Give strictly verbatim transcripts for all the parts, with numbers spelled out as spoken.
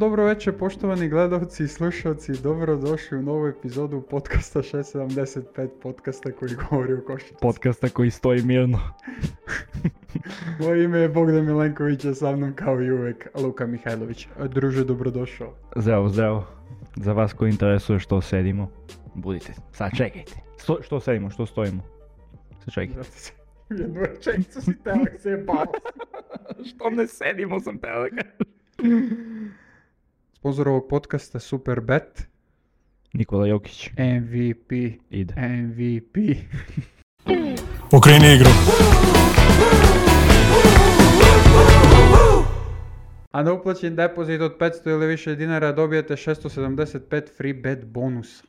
dobro večer poštovani gledalci i slušalci, dobrodošli u novu epizodu podcasta šest sedamdeset pet, podcasta koji govori o košarci. Podcasta koji stoji mirno. Moje ime je Bogdan Milenković, a sa mnom kao i uvek Luka Mihajlović. Druže, dobrodošao. Zdravo, zdravo. Za vas koji interesuje što sedimo, budite, sad čekajte. Sto, što sedimo, što stojimo? Sad čekajte. Jednu rečenicu si telek se je baš. Što ne sedimo sam telek. Sponzor ovog podcasta Superbet. Nikola Jokić. M V P. Ide. M V P. Okreni igru. A na uplaćen depozit od petsto ili više dinara dobijete šesto sedamdeset pet free bet bonusa.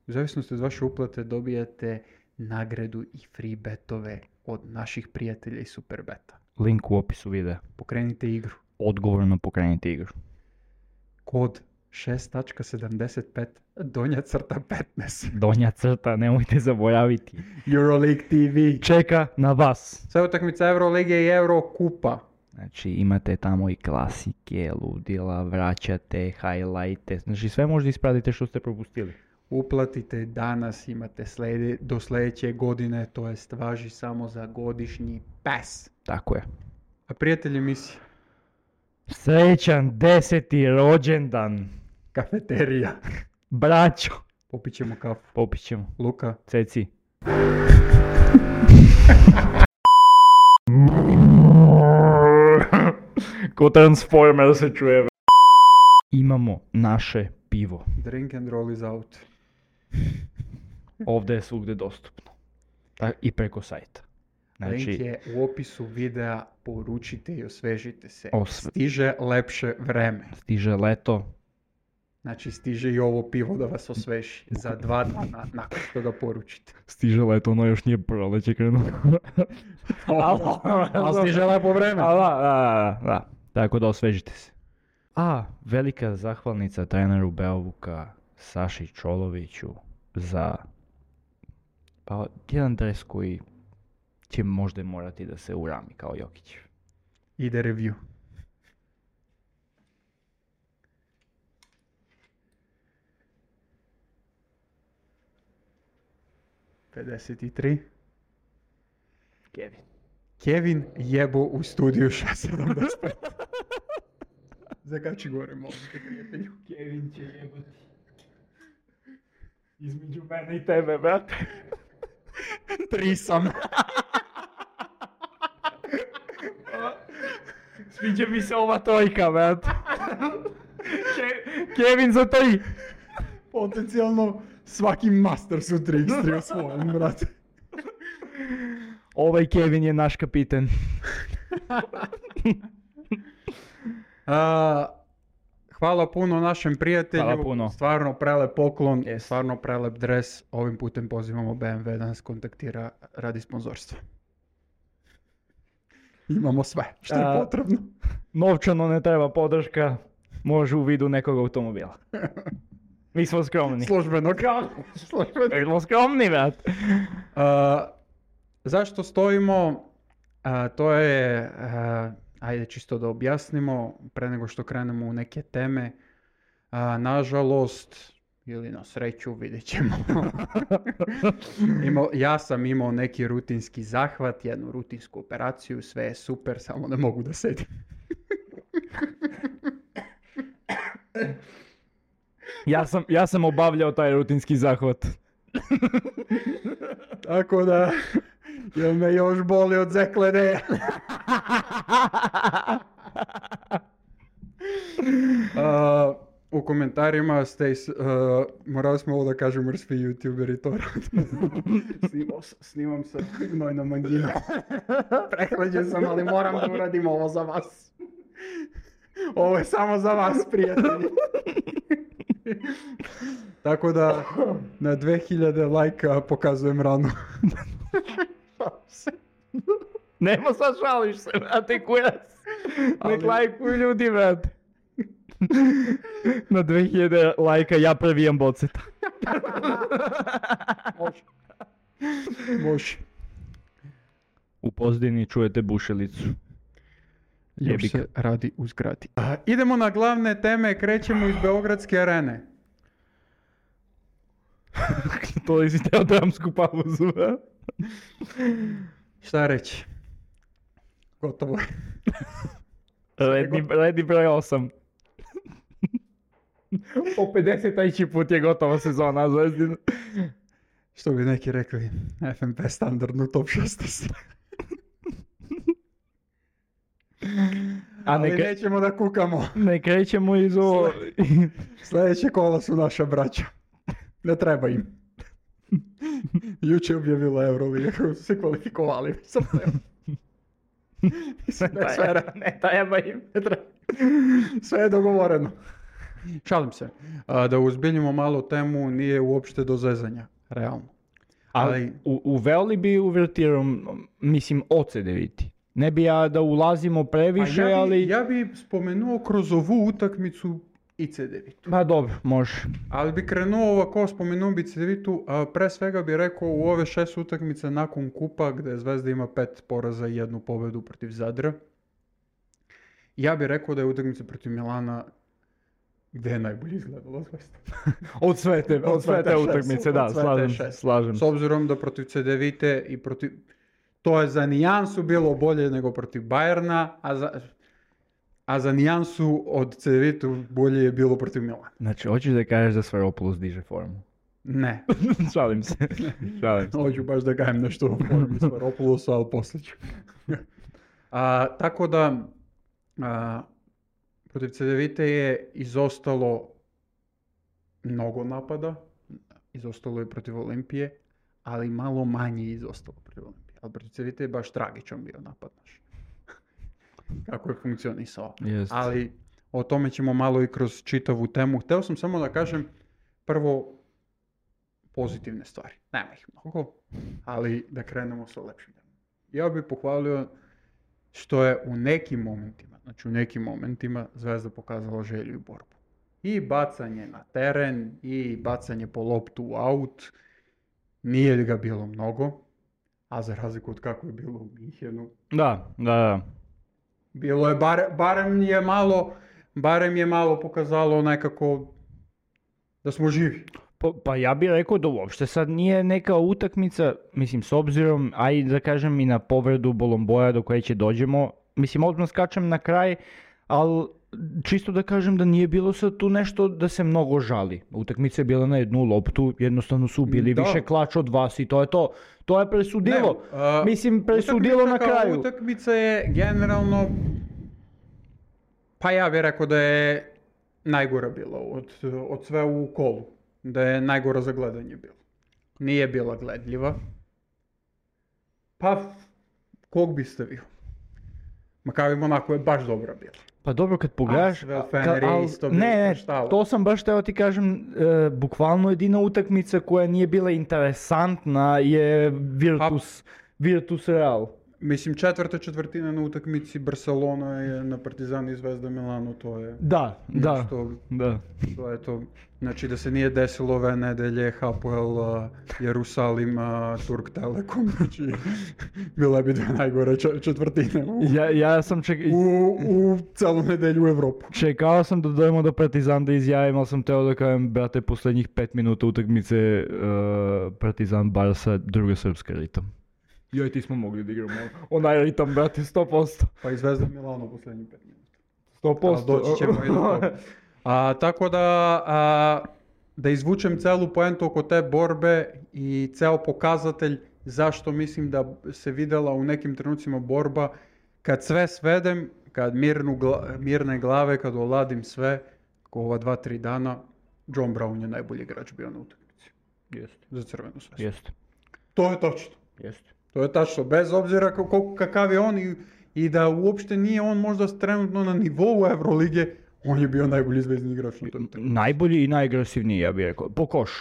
U zavisnosti od vaše uplate dobijete nagradu i free betove od naših prijatelja iz Superbeta. Link u opisu videa. Pokrenite igru. Odgovorno pokrenite igru. Kod šest sedamdeset pet donja crta petnaest. Donja crta, nemojte zaboraviti. Euroleague T V. Čeka na vas. Sve utakmice Eurolige i Eurokupa. Znači imate tamo i klasike, ludila, vraćate, highlighte, znači sve možda ispratite što ste propustili. Uplatite danas, imate slede, do sljedeće godine, to jest važi samo za godišnji pas. Tako je. A prijatelji emisije? Srećan deseti rođendan. Kafeterija. Braćo. Popit ćemo kafu. Popit ćemo. Luka. Ceci. Ko Transformer se čuje. Imamo naše pivo. Drink and roll is out. Ovdje je svugdje dostupno. Tak, i preko sajta. Znači, link je u opisu videa, poručite i osvežite se. Osve... Stiže lepše vreme. Stiže leto. Znači stiže i ovo pivo da vas osveži. Za dva dana nakon što ga poručite. Stiže leto, ono još nije proleće krenuo. Ali stiže lepo vreme. Da, da, da. Tako da osvežite se. A, velika zahvalnica treneru Beovuka, Saši Čoloviću, za pa, jedan dres koji će možda morati da se urami kao Jokić. Ide review. pedeset tri. Kevin. Kevin jebo u studiju šest sedamdeset pet. Zakači gore, molim te, prijatelju. Kevin će jebati. Između mene i tebe, brate. Tri sam. Sviđa mi se ova trojka, brate. Ke- Kevin za tri. Potencijalno svaki master su tri iks tri osvojen, brate. Ovaj Kevin je naš kapiten. uh, hvala puno našem prijatelju. Hvala puno. Stvarno prelep poklon, Yes. stvarno prelep dres. Ovim putem pozivamo B M W da nas kontaktira radi sponzorstva. Imamo sve što je A, potrebno. Novčano ne treba podrška, može u vidu nekog automobila. Mi smo skromni. Službeno. Službeno. Mi smo skromni, brat. Uh, zašto stojimo? Uh, to je, uh, ajde čisto da objasnimo, pre nego što krenemo u neke teme. Uh, nažalost, ili na sreću, vidjet ćemo. Imao, ja sam imao neki rutinski zahvat, jednu rutinsku operaciju, sve je super, samo ne mogu da sedim. Ja sam, ja sam obavljao taj rutinski zahvat. Tako da, jel me još boli od zeklene? uh, u komentarima ste, uh, morali smo ovo da kažemo jer svi youtuberi to rade. Snimam, snimam sa gnojnom anginom. Prehlađen sam, ali moram da uradim ovo za vas. Ovo je samo za vas, prijatelji. Tako da na dve hiljade lajka pokazujem ranu. Nema sad šališ se, brate, kurac. Nek Ali- lajkuju ljudi, brate. Na dve hiljade lajka ja previjam boceta. Može. Može. U pozadini čujete bušelicu. Još Jebik. se radi u zgradi. A, idemo na glavne teme, krećemo iz Beogradske arene. To je si teo dramsku pauzu. a? Šta reći? Gotovo je. Redni, redni broj osam. Po pedeset put je gotova sezona Zvezdina. Što bi neki rekli, F M P standardno top šesnaest. A Ali ne, kre- nećemo da kukamo. ne krećemo iz ovo... Sljedeće kola su naša braća. Ne treba im. Juče je objavila Euroliga kako su se kvalifikovali. Sam Mislim da je sve, re- ne treba im. ne treba. Sve je dogovoreno. Šalim se. A, da uzbiljimo malo temu, nije uopšte do zezanja. Realno. Ali Ali- u, uveli bi uvertiru, mislim, oce deviti. Ne bi ja da ulazimo previše, A ja bi, ali... ja bi spomenuo kroz ovu utakmicu i C devet. Pa dobro, može. Ali bi krenuo ovako, spomenuo bi C devet-u, a pre svega bi rekao u ove šest utakmice nakon kupa, gde Zvezda ima pet poraza i jednu pobedu protiv Zadra. Ja bih rekao da je utakmica protiv Milana gde je najbolje izgledala Zvezda. Od sve te, od sve te šest, utakmice, od da, sve te slažem se, šest. slažem S se. obzirom da protiv C devet i protiv... To je za nijansu bilo bolje nego protiv Bayerna, a za, a za nijansu od C devet-u bolje je bilo protiv Milana. Znači, hoćeš da kažeš da Svaropoulos diže formu? Ne. Šalim se, šalim se. Hoću baš da gajem nešto o formi Svaropoulosa, ali poslije ću. A, tako da, a, protiv C devet je izostalo mnogo napada, izostalo je protiv Olimpije, ali malo manje je izostalo protiv Olimpije. Ali protiv C devet je baš tragičan bio napad naš. Kako je funkcionisao. Jest. Ali o tome ćemo malo i kroz čitavu temu. Hteo sam samo da kažem prvo pozitivne stvari. Nema ih mnogo, ali da krenemo sa lepšim. Ja bih pohvalio što je u nekim momentima, znači u nekim momentima Zvezda pokazala želju i borbu. I bacanje na teren, i bacanje po loptu u aut. Nije ga bilo mnogo, a za razliku od kako je bilo u Minhenu, Da, da, da. bilo je, bare, barem je malo, barem je malo pokazalo nekako da smo živi. Pa, pa ja bih rekao da uopšte sad nije neka utakmica, mislim, s obzirom, a i da kažem i na povredu Bolomboja do koje će dođemo, mislim, odmah skačem na kraj, ali čisto da kažem da nije bilo sad tu nešto da se mnogo žali. Utakmica je bila na jednu loptu, jednostavno su bili Da. više klač od vas i to je to. To je presudilo. Ne, a, mislim, presudilo na utakmica kao kraju. Utakmica je generalno, pa ja bih rekao da je najgora bila od, od sve u kolu. Da je najgora za gledanje bila. Nije bila gledljiva. Pa, kog bi stavio? Makabi Monako je baš dobra bila. Pa dobro kad pogledaš, Asvel, ka- Fener je al- isto bio ne, ne, koštalo. to sam baš teo ti kažem, e, bukvalno jedina utakmica koja nije bila interesantna je Virtus, Virtus Real. Mislim, četvrta četvrtina na utakmici Barcelona je na Partizan i Zvezda Milano, to je... Da, da, nešto- da. To je to. Znači da se nije desilo ove nedelje Hapoel, uh, Jerusalim, uh, Turk Telekom, znači bila bi dve najgore č- četvrtine u, Ja, ja sam ček... u, u celu nedelju u Evropu. čekao sam da dojemo do Partizan da izjavim, ali sam teo da kažem, brate, posljednjih pet minuta utakmice e, Partizan Barsa, druga srpska ritam. Ja i ti smo mogli da igramo onaj ritam, brate, sto posto. Pa i Zvezda Milano poslednjih pet minuta. sto Ali posto. doći ćemo i do toga. A, tako da, a, da izvučem celu poentu oko te borbe i ceo pokazatelj zašto mislim da se videla u nekim trenucima borba, kad sve svedem, kad mirnu gla- mirne glave, kad oladim sve, ko ova dva, tri dana, John Brown je najbolji igrač bio na utakmici Jeste, za Crvenu zvezdu. jeste, To je tačno. jeste. To je tačno, bez obzira kako, kakav je on i, i da uopšte nije on možda trenutno na nivou Evrolige, on je bio najbolji zvezdni igrač na toj utakmici. Najbolji i najagresivniji, ja bih rekao. Po koš.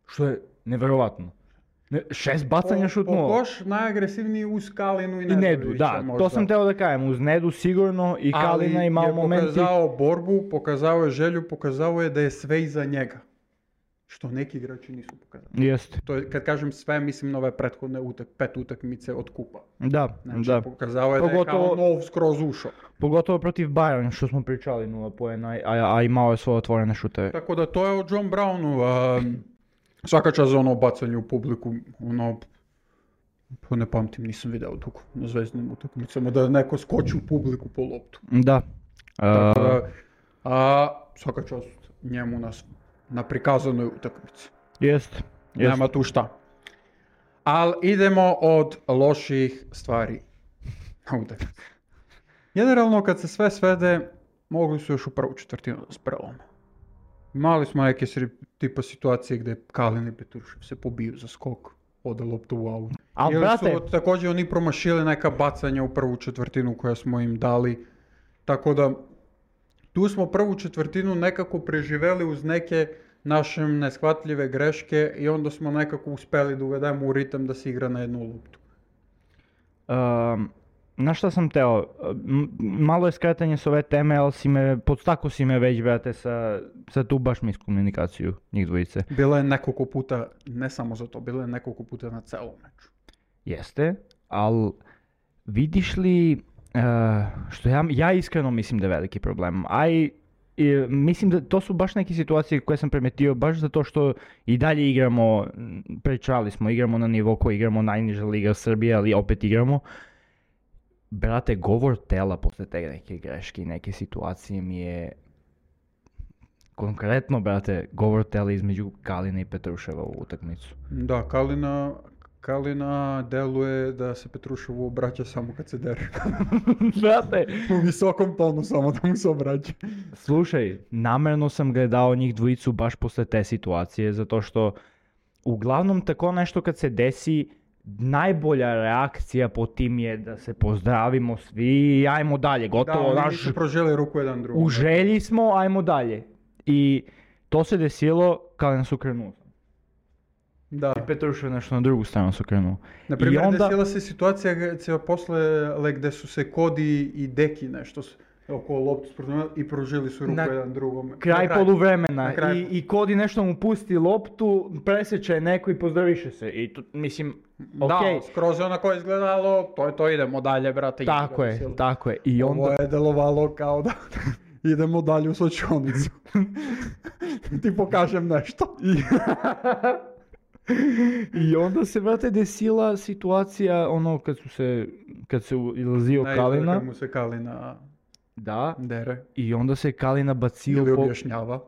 Što je neverovatno. Ne, šest bacanja Po šutnuo. koš najagresivniji uz Kalinu i I Nedu, Nedovića da. možda. To sam teo da kažem. Uz Nedu sigurno i Kalina Ali i malo je momenti. pokazao borbu, pokazao je želju, pokazao je da je sve iza njega. što neki igrači nisu pokazali. Jeste. To je, kad kažem sve, mislim na ove prethodne utak, pet utakmice od kupa. Da, Znači, da. pokazao je da je Pogotovo- kao nov skroz ušao. Pogotovo protiv Bayern, što smo pričali, nula poena, a, a imao je svoje otvorene šuteve. Tako da to je o John Brownu. A, svaka čast za ono bacanje u publiku, ono, pa ne pamtim, nisam video dugo na zvezdnim utakmicama, da neko skoči u publiku po loptu. Da. Tako Uh, da, a, svaka čast njemu na, s- na prikazanoj utakmici. jest, jest. Nema tu šta. Ali idemo od loših stvari na utakmici. Generalno kad se sve svede, mogli su još u prvu četvrtinu da se prelome. Imali smo neke sri- tipa situacije gdje Kalin i Petrušev se pobiju za skok, ode loptu u aut. Al, Ili brate, su također oni promašili neka bacanja u prvu četvrtinu koja smo im dali. Tako da tu smo prvu četvrtinu nekako preživeli uz neke naše neshvatljive greške i onda smo nekako uspjeli da uvedemo u ritam da se igra na jednu loptu. um, na šta sam teo, M- malo je skretanje s ove teme, ali si me, podstako si me već, brate, sa, sa tu baš miskomunikaciju njih dvojice. Bilo je nekoliko puta, ne samo za to, bilo je nekoliko puta na celom meču. Jeste, ali vidiš li, uh, što ja, ja iskreno mislim da je veliki problem, a i i mislim da to su baš neke situacije koje sam primetio baš zato što i dalje igramo, m, pričali smo, igramo na nivo koji igramo najniža liga Srbije, ali opet igramo. Brate, govor tela posle te neke greške i neke situacije mi je konkretno, brate, govor tela između Kalina i Petruševa u utakmicu. Da, Kalina, Kalina deluje da se Petruševu obraća samo kad se dere. Brate, U visokom tonu samo da mu se obraća. slušaj, namjerno sam gledao njih dvojicu baš posle te situacije, zato što uglavnom tako nešto kad se desi, najbolja reakcija po tim je da se pozdravimo svi i ajmo dalje, Da, gotovo, oni naš, nisu proželi ruku jedan drugom. u želji smo, ajmo dalje. I to se desilo kada nas okrenuo. Da. I Petrušev nešto na drugu stranu se okrenuo. Na primjer, I onda- desila se situacija gdje posle like, gdje su se Kodi i Deki nešto s- oko loptu sprotnuli i prožili su ruku Na jedan drugom. Kraj poluvremena Na kraju. i, i Kodi nešto mu pusti loptu, preseče neko i pozdraviše se. I to, mislim, Da, okej, skroz je onako izgledalo, to je to, idemo dalje, brate. tako idemo, je, tako je. I onda... Ovo je delovalo kao da idemo dalje u sočionicu. Ti pokažem nešto. I onda se, brate, desila situacija, ono, kad su se, kad se ilazio Ne, Kalina, kad mu se Kalina da, dere i onda se Kalina bacio ili po... objašnjava.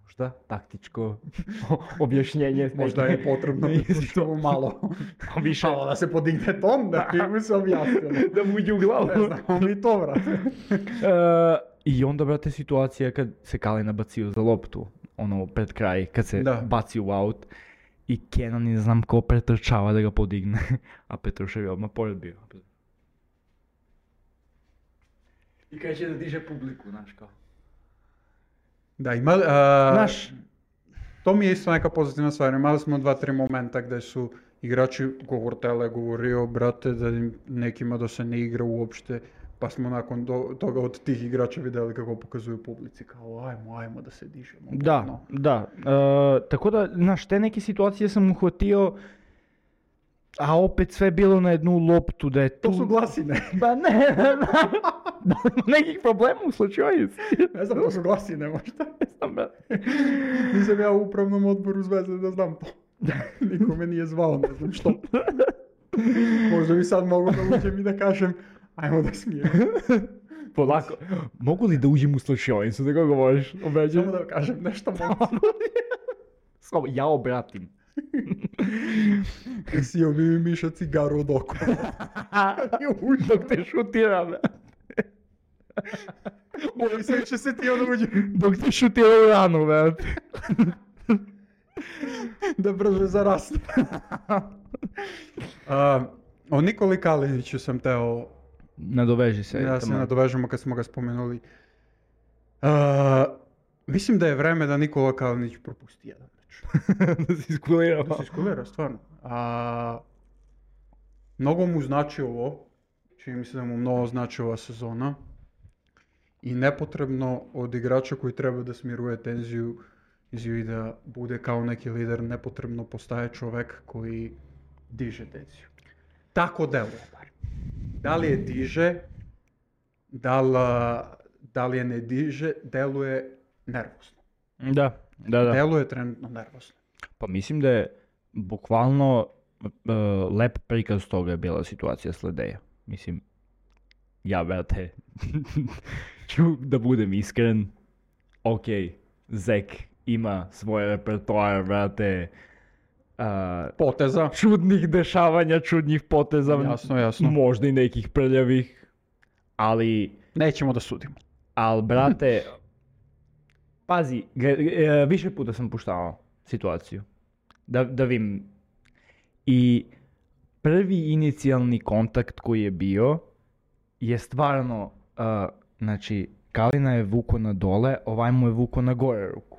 Možda taktičko objašnjenje. Možda je potrebno što malo. više Malo da se podigne ton, da ti mu se objasnilo. da mu uđe u glavu. Ne znamo mi to, brate. E, I onda, brate, situacija kad se Kalina bacio za loptu, ono, pred kraj, kad se Da. baci u aut, i Kenan ne znam ko pretrčava da ga podigne, a Petrušev je odmah pored bio. I kaže da diže publiku, znaš kao. Da, imali, a, Znaš, to mi je isto neka pozitivna stvar. Imali smo dva, tri momenta gdje su igrači, govor tele je govorio, brate, da im nekima da se ne igra uopšte, pa smo nakon do, toga od tih igrača vidjeli kako pokazuju publici, kao ajmo, ajmo da se dižemo. da, No. da. E, tako da, znaš, te neke situacije sam uhvatio, a opet sve bilo na jednu loptu, da je tu... To su glasine. Ba ne, da li ima nekih problema u slučaju? Ne znam, to su glasine možda. Ne znam, brate. Nisam ja u upravnom odboru Zvezde da znam to. Niko me nije zvao, ne znam što. Možda bi sad mogu da uđem i da kažem, ajmo da smijem. Polako. Mogu li da uđem u slučajnicu, da ga govoriš? Obeđam. Samo da kažem nešto mogu. Samo ja obratim. Sio bi mi Miša cigaru od oka. Dok te šutira, brate. Moji se će se ti onda uđe. Dok te šutira u ranu, brate. Da brže zarasne. uh, o Nikoli Kaliniću sam teo Nadoveži se. da se tamo. nadovežemo kad smo ga spomenuli. Uh, mislim da je vreme da Nikola Kalinić propusti jedan meč. Da se iskulira. Da se iskulira, stvarno. A, mnogo mu znači ovo. Čini mi se da mu mnogo znači ova sezona. I nepotrebno od igrača koji treba da smiruje tenziju izjavi da bude kao neki lider, nepotrebno postaje čovek koji diže tenziju. Tako deluje bar. Da li je diže, da li, da li je ne diže, deluje nervozno. Da, da, da. Deluje trenutno nervozno. Pa mislim da je bukvalno uh, lep prikaz toga je bila situacija s Ledeja. Mislim, ja, brate, ću da budem iskren, ok, Zek ima svoj repertoar, brate, uh, Poteza. čudnih dešavanja, čudnih poteza, Jasno, jasno. možda i nekih prljavih, ali, Nećemo da sudimo. al brate, pazi, ge- e, više puta sam puštavao situaciju, da, da vidim, i prvi inicijalni kontakt koji je bio je stvarno, uh, znači, Kalina je vuko na dole, ovaj mu je vuko na gore ruku.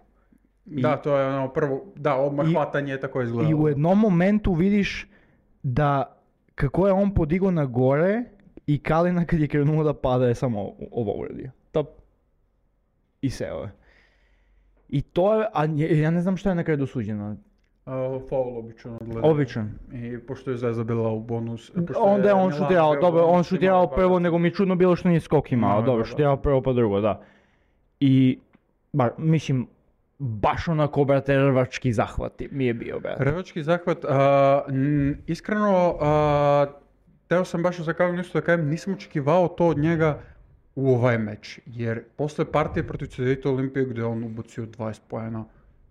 I- Da, to je ono prvo, da, odmah I- hvatanje je tako I izgledalo. u jednom momentu vidiš da kako je on podigao na gore i Kalina kad je krenuo da pada je samo o- ovo uradio. Top. I seo je. I to je, a nje- ja ne znam šta je na kraju dosuđeno. Uh, foul obično odgleda. Običan. I pošto je Zvezda bila u bonus... pošto Onda je on Milano šutirao, bio u dobro, on bonusu, šutirao imao prvo, dvadeset. nego mi je čudno bilo što nije skok imao, Imao je dobro, dva, šutirao da. prvo pa drugo, da. I, ba, mislim, baš onako, brate, rvački zahvati mi je bio, brate. Rvački zahvat, a, n- iskreno, a, teo sam baš za Kalinu isto da kažem, nisam očekivao to od njega u ovaj meč, jer posle partije protiv C D T Olimpije gdje on ubacio dvadeset poena,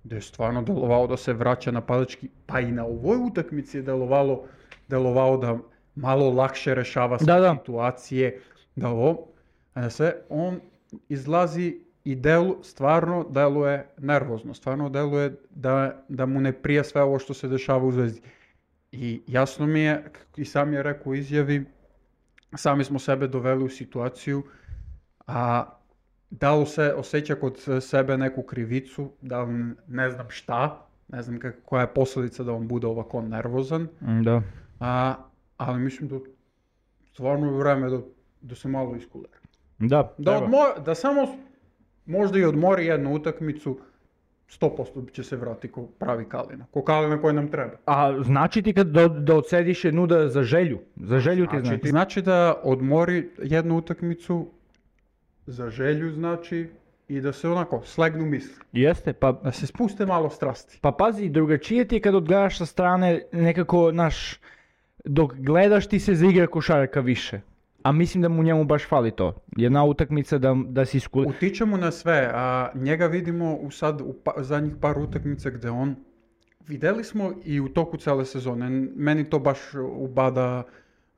gdje je stvarno delovao da se vraća napadački, pa i na ovoj utakmici je delovalo, delovao da malo lakše rešava sve Da, da. situacije, da ovo, a da sve, on izlazi i delu, stvarno deluje nervozno, stvarno deluje da, da mu ne prija sve ovo što se dešava u Zvezdi. I jasno mi je, i sam je rekao u izjavi, sami smo sebe doveli u situaciju, a da li se osjeća kod sebe neku krivicu, da li ne znam šta, ne znam kak- koja je posljedica da on bude ovako nervozan, Mm, Da. a, ali mislim da stvarno je vreme da, da se malo iskulira. Da, Da, treba. odmo- da samo s- možda i odmori jednu utakmicu, sto posto će se vrati ko pravi Kalina. Ko Kalina koji nam treba. A znači ti kad da, da odsediš jednu da za želju, za želju ti Znači, znači. znači da odmori jednu utakmicu za želju, znači, i da se onako slegnu misli. Jeste, pa, Da se spuste malo strasti. pa pazi, drugačije ti je kad odgledaš sa strane nekako, naš, dok gledaš ti se zaigra košarka više. A mislim da mu njemu baš fali to. Jedna utakmica da, da si skuli... Utiče mu na sve, a njega vidimo u sad u pa, zadnjih par utakmica gde on, videli smo i u toku cele sezone, n- meni to baš ubada,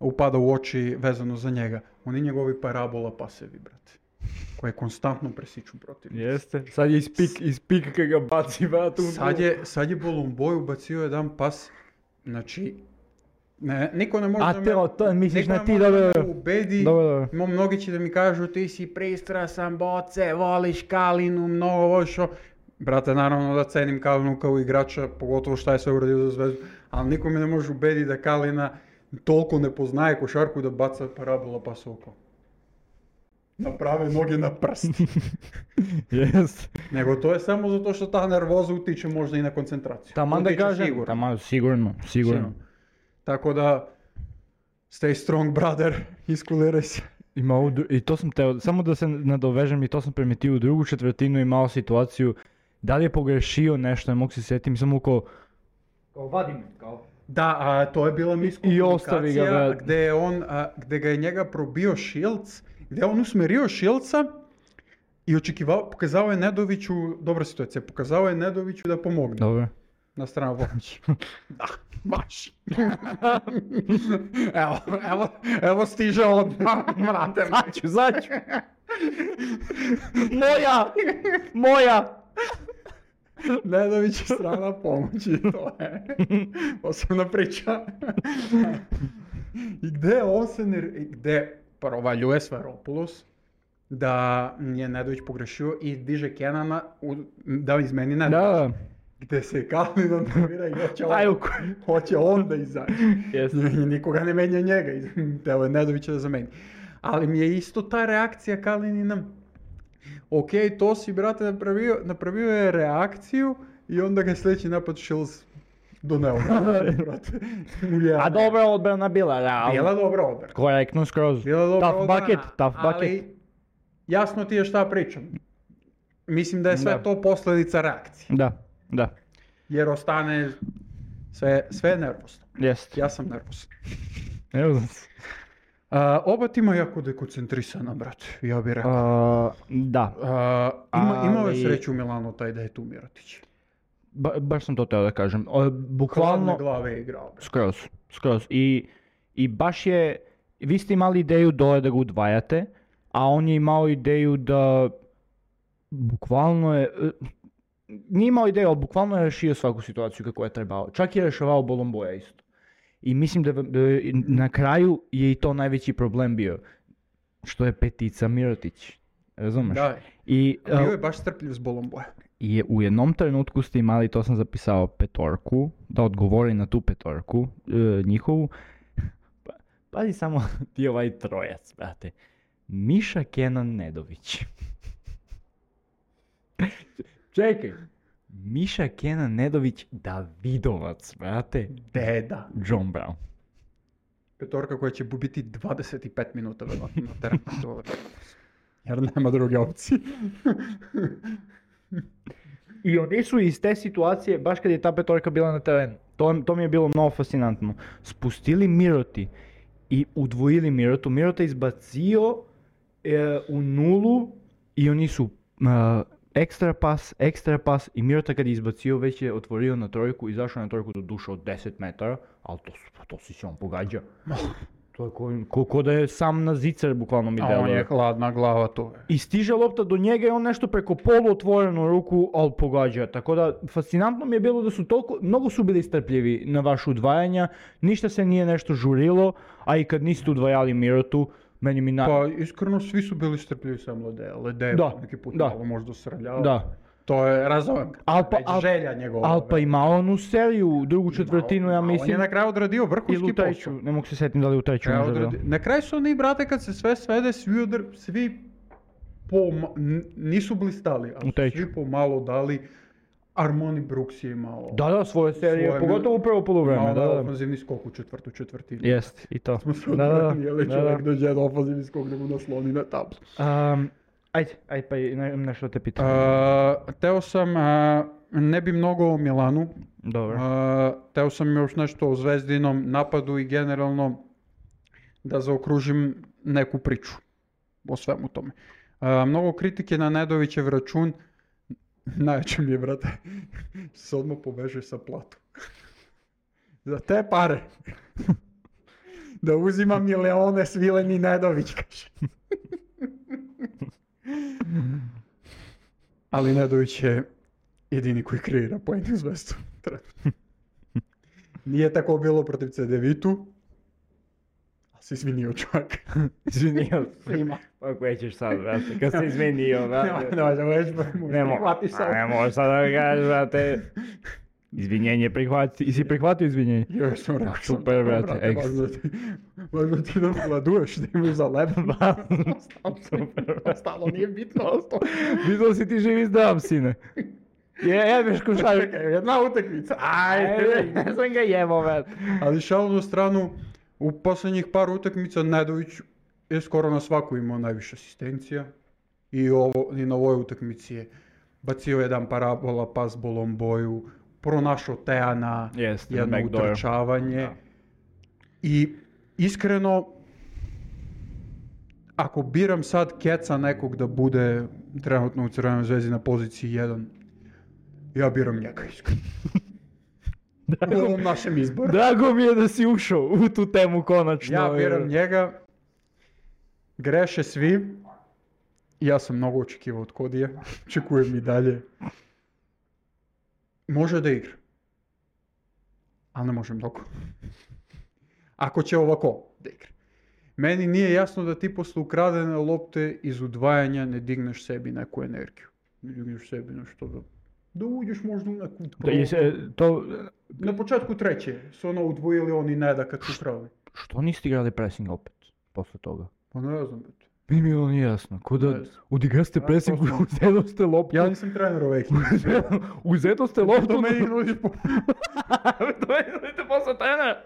upada u oči vezano za njega. Oni njegovi parabola pasevi, brate, koje konstantno presiču protiv. Jeste, sad je iz, pik, iz pika kad ga baci, vrat, Sad je, sad je Bolomboj ubacio jedan pas, znači, ne, niko ne može A da te, me, o, to misliš niko na ne ti, može dobro, da me dobro. ubedi. Dobro, dobro. Imam mnogi će da mi kažu ti si pristrasan, boce, voliš Kalinu, mnogo voliš o... Brate, naravno da cenim Kalinu kao igrača, pogotovo šta je sve uradio za Zvezdu, ali niko me ne može ubediti da Kalina toliko ne poznaje košarku da baca parabola pas oko. Naprave noge na prst. Jeste. Nego to je samo zato što ta nervoza utiče možda i na koncentraciju. Taman da Utiče kažem, sigurno. taman, sigurno, sigurno. Sigurno. Tako da, stay strong, brother, iskuliraj se. Ima ovu dru- I to sam teo, samo da se nadovežem, i to sam primetio u drugu četvrtinu, imao situaciju, da li je pogrešio nešto, ne mogu se sjetiti, samo kao, kao vadim, kao. Da, a to je bila I ostavi ga, miskomunikacija brate. gde je on, a, gde ga je njega probio Šilc, gde je on usmerio Šilca i očekivao, pokazao je Nedoviću, dobra situacija, pokazao je Nedoviću da pomogne Dobro. na stranu pomoći. Da, baš. evo, evo, evo stiže on, brate. Zaću, zaću. Moja! Moja! Nedović je strana pomoći, to je posebna priča. I gde on se ne... Gde provaljuje Svaropoulos da je Nedović pogrešio i diže Kenana u, da izmeni Nedović. Da, Gde se Kalin nervira i hoće on, Aj, u hoće on da izađe. Jeste. I nikoga ne menja njega, teo je Nedovića da zameni. Ali mi je isto ta reakcija Kalinina Ok, to si, brate, napravio, napravio je reakciju i onda ga sljedeći napad Shields doneo. brate. Ja, A dobra odbrana bila, realno. Bila dobra odbrana. Korektno skroz. Bila dobra Tough odbrana, bucket, tough ali bucket. jasno ti je šta pričam. Mislim da je sve Da. to posljedica reakcije. Da, da, Jer ostane sve, sve nervozno. jest. Ja sam nervozan. Evo znam se. A, oba tima jako dekoncentrisana, brate, ja bih rekao. A, da, A, ima, imao je ali- sreću u Milanu taj da je tu Mirotić. ba, baš sam to teo da kažem. O, Hladne bukvalno, glave je igrao. brate. skroz, skroz. I, I baš je, vi ste imali ideju dole da ga udvajate, a on je imao ideju da, bukvalno je, e, nije imao ideju, ali bukvalno je rešio svaku situaciju kako je trebao. Čak je rešavao Bolomboja isto. I mislim da, da na kraju je i to najveći problem bio. Što je petica Mirotić. Razumeš? Da, I, bio uh, je baš strpljiv s Bolomboja. I u jednom trenutku ste imali, to sam zapisao, petorku, da odgovori na tu petorku e, njihovu. Pa, pazi samo ti ovaj trojac, brate. Miša Kenan Nedović. Čekaj. Miša Kenan Nedović, Davidovac, brate. Deda. John Brown. Petorka koja će biti dvadeset pet minuta verovatno na terenu. To- Jer nema druge opcije. I oni su iz te situacije, baš kad je ta petorka bila na terenu, to, to mi je bilo mnogo fascinantno, spustili Miroti i udvojili Mirotu. Mirota je izbacio e, u nulu i oni su e, ekstra pas, ekstra pas i Mirota kad je izbacio već je otvorio na trojku, izašao na trojku do duša od deset metara, ali to, su- to si se on pogađa. To je ko, ko, ko da je sam na zicer, bukvalno mi A on deluje. je hladna glava, to je. I stiže lopta do njega i on nešto preko polu otvorenu ruku, ali pogađa. Tako da, fascinantno mi je bilo da su toliko, mnogo su bili strpljivi na vaše udvajanja, ništa se nije nešto žurilo, a i kad niste udvajali Mirotu, meni mi na... Pa iskreno svi su bili strpljivi sam Lede. Lede je Da, neki put da. malo možda srljao. Da. To je, razumem ga. Al pa- Već al- želja njegova. Ali pa ima onu seriju, drugu četvrtinu, ja On je mislim, na kraju odradio ili vrhunski u treću, posao. ne mogu se sjetiti da li u treću Kraju možda bilo. odradi- Na kraju su oni, brate, kad se sve svede, svi, odr... svi poma- n- nisu blistali, ali U su treću. svi pomalo dali. Armoni Brooks je imao. Da, da, svoje serije, Svoje- pogotovo u prvo polovreme, imao da, da. ofanzivni skok u četvrtu četvrtinu. Jest, i to. Smo se Da, da, da, odbranili, da, čovjek da. dođe na ofanzivni skok da mu nasloni na tablu. Um, ajde, ajde, pa i ne, nešto te pitam. Uh, teo sam, uh, ne bi mnogo o Milanu, Dobro. uh, teo sam još nešto o Zvezdinom napadu i generalno da zaokružim neku priču o svemu tome. Uh, mnogo kritike na Nedovićev račun, najveće mi je, brate, se odmah poveže sa platom. Za te pare. Da uzima milione svileni Nedović, kaže. Ali Nedović je jedini koji kreira pojedinu Zvezdu. Nije tako bilo protiv C D Vitu, a se izvinio čovjek. Izvinio Svima. Pa koje ćeš sad, brate, kad se izmenio, brate. Ne može, već Ne mo- prihvati sad. a ne možeš sad da ga kažeš, brate. Izvinjenje prihvati, i si prihvatio izvinjenje? Joj, sam rekao. sam, Super, brate, brate, ekstra. važno ti, važno ti da gladuješ, da imaš za lep. Super, Ostalo nije bitno, ostalo. Vidio si ti živi zdrav, sine. Je, jebeš košarku. Čekaj, jedna utakmica. Ajde, ne sam ga jebo, brate. Ali šalu na stranu, u posljednjih par utakmica Nedović je skoro na svaku imao najviše asistencija. I, ovo, i na ovoj utakmici je bacio jedan parabola, pas Bolomboju, pronašao Teana, Jeste, na jedno backdooru. utrčavanje. Da. I iskreno, ako biram sad keca nekog da bude trenutno u Crvenoj Zvezdi na poziciji jedan, ja biram njega iskreno. U ovom našem izboru. Drago mi je da si ušao u tu temu konačno. Ja biram njega, greše svi, ja sam mnogo očekivao od Kodija, očekujem i dalje. Može da igra, ali ne može mnogo. Ako će ovako da igra. Meni nije jasno da ti posle ukradene lopte iz udvajanja ne digneš sebi neku energiju. Ne digneš sebi nešto da... Da uđeš možda u neku... Da, je se, to, Na početku treće su ono udvojili oni ne da kad su ukrali. što niste igrali pressing opet, posle toga? Pa ne znam, brate. Meni mi je ovo nije jasno. Ko da Ne znam. odigraste Ja presing, prosto- uzedoste loptu. Ja nisam trener ove ekipe. Uzedoste loptu. To meni nudiš po... To meni nudite posao trenera.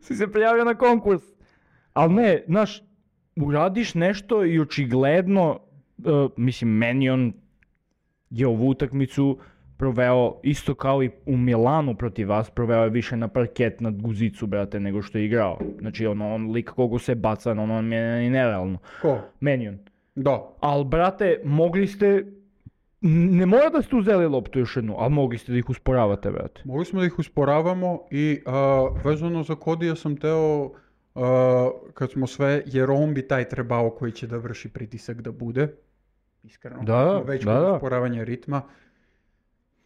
Si se prijavio na konkurs. Ali ne, znaš, uradiš nešto i očigledno, uh, mislim, meni on je ovu utakmicu proveo isto kao i u Milanu protiv vas, proveo je više na parket, na guzicu, brate, nego što je igrao. Znači, ono, on lik kogo se baca, ono, on je ni nerealno. Ko? Meni on. Da. Ali, brate, mogli ste, ne mora da ste uzeli loptu još jednu, ali mogli ste da ih usporavate, brate. Mogli smo da ih usporavamo i a, vezano za Kodija sam teo, a, kad smo sve, jer on bi taj trebao koji će da vrši pritisak da bude. Iskreno, Da, kad da, smo već da, kod da. usporavanja ritma.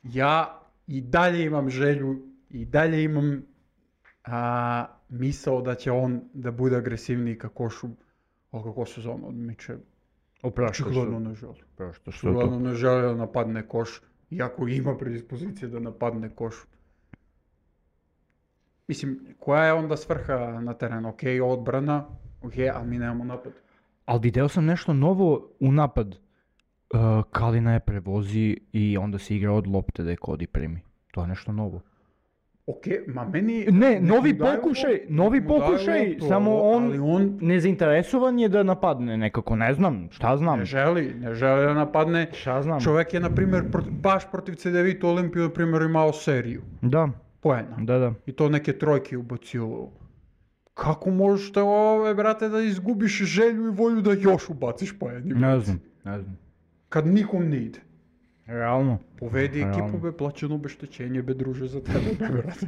Ja i dalje imam želju, i dalje imam a, misao da će on da bude agresivniji ka košu, ali kako sezonu odmiče. Opraštaš Očigledno se. ne želi. Opraštaš se to. Očigledno ne želi da napadne koš, iako ima predispozicije da napadne koš. Mislim, koja je onda svrha na terenu? Ok, odbrana, ok, ali mi nemamo napad. Ali video sam nešto novo u napad. Uh, Kalina je prevozi i onda se igra od lopte da je Kodi primi. To je nešto novo. Ok, ma meni... Ne, nek novi mu daju pokušaj, loptu, novi nek mu daju pokušaj, loptu, samo on, ali on nezainteresovan je da napadne nekako, ne znam, šta znam, ne želi, ne želi da napadne. šta znam. Čovjek je, na primjer, prot- baš protiv C D Vita Olimpiju, na primjer, imao seriju Da, poena. da, da. I to neke trojke ubacio. Kako možeš te ove, brate, da izgubiš želju i volju da još ubaciš poeni? Ne znam, ne znam. Kad nikom ne ide. Realno. Povedi Realno. ekipu, be, plaćeno obeštećenje, be, druže, za tebe, be, brate.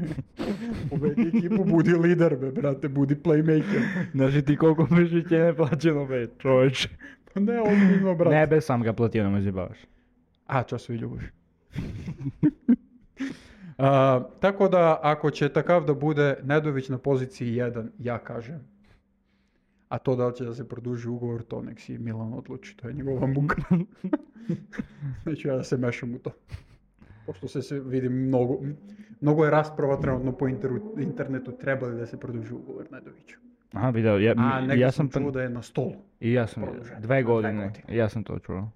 Povedi ekipu, budi lider, be, brate, budi playmaker. Znači ti koliko mišiće ne plaćeno, be, čovječe. Pa ne, ozbiljno, brate. Ne, be, sam ga platio, nemoj zjebavaš. A, čas i ljubav. A, tako da, ako će takav da bude Nedović na poziciji jedan, ja kažem. A to da li će da se produži ugovor, to nek si Milan odluči, to je njegova muka. Neću ja da se mešam u to. Pošto se, se vidim mnogo, mnogo je rasprava trenutno po interu, internetu, treba li da se produži ugovor Nedoviću. Aha, video, ja, A negdje ja sam sam, čuo da je na stolu. i ja sam, produžen. dve Dve godine, godine. ja sam to čuo.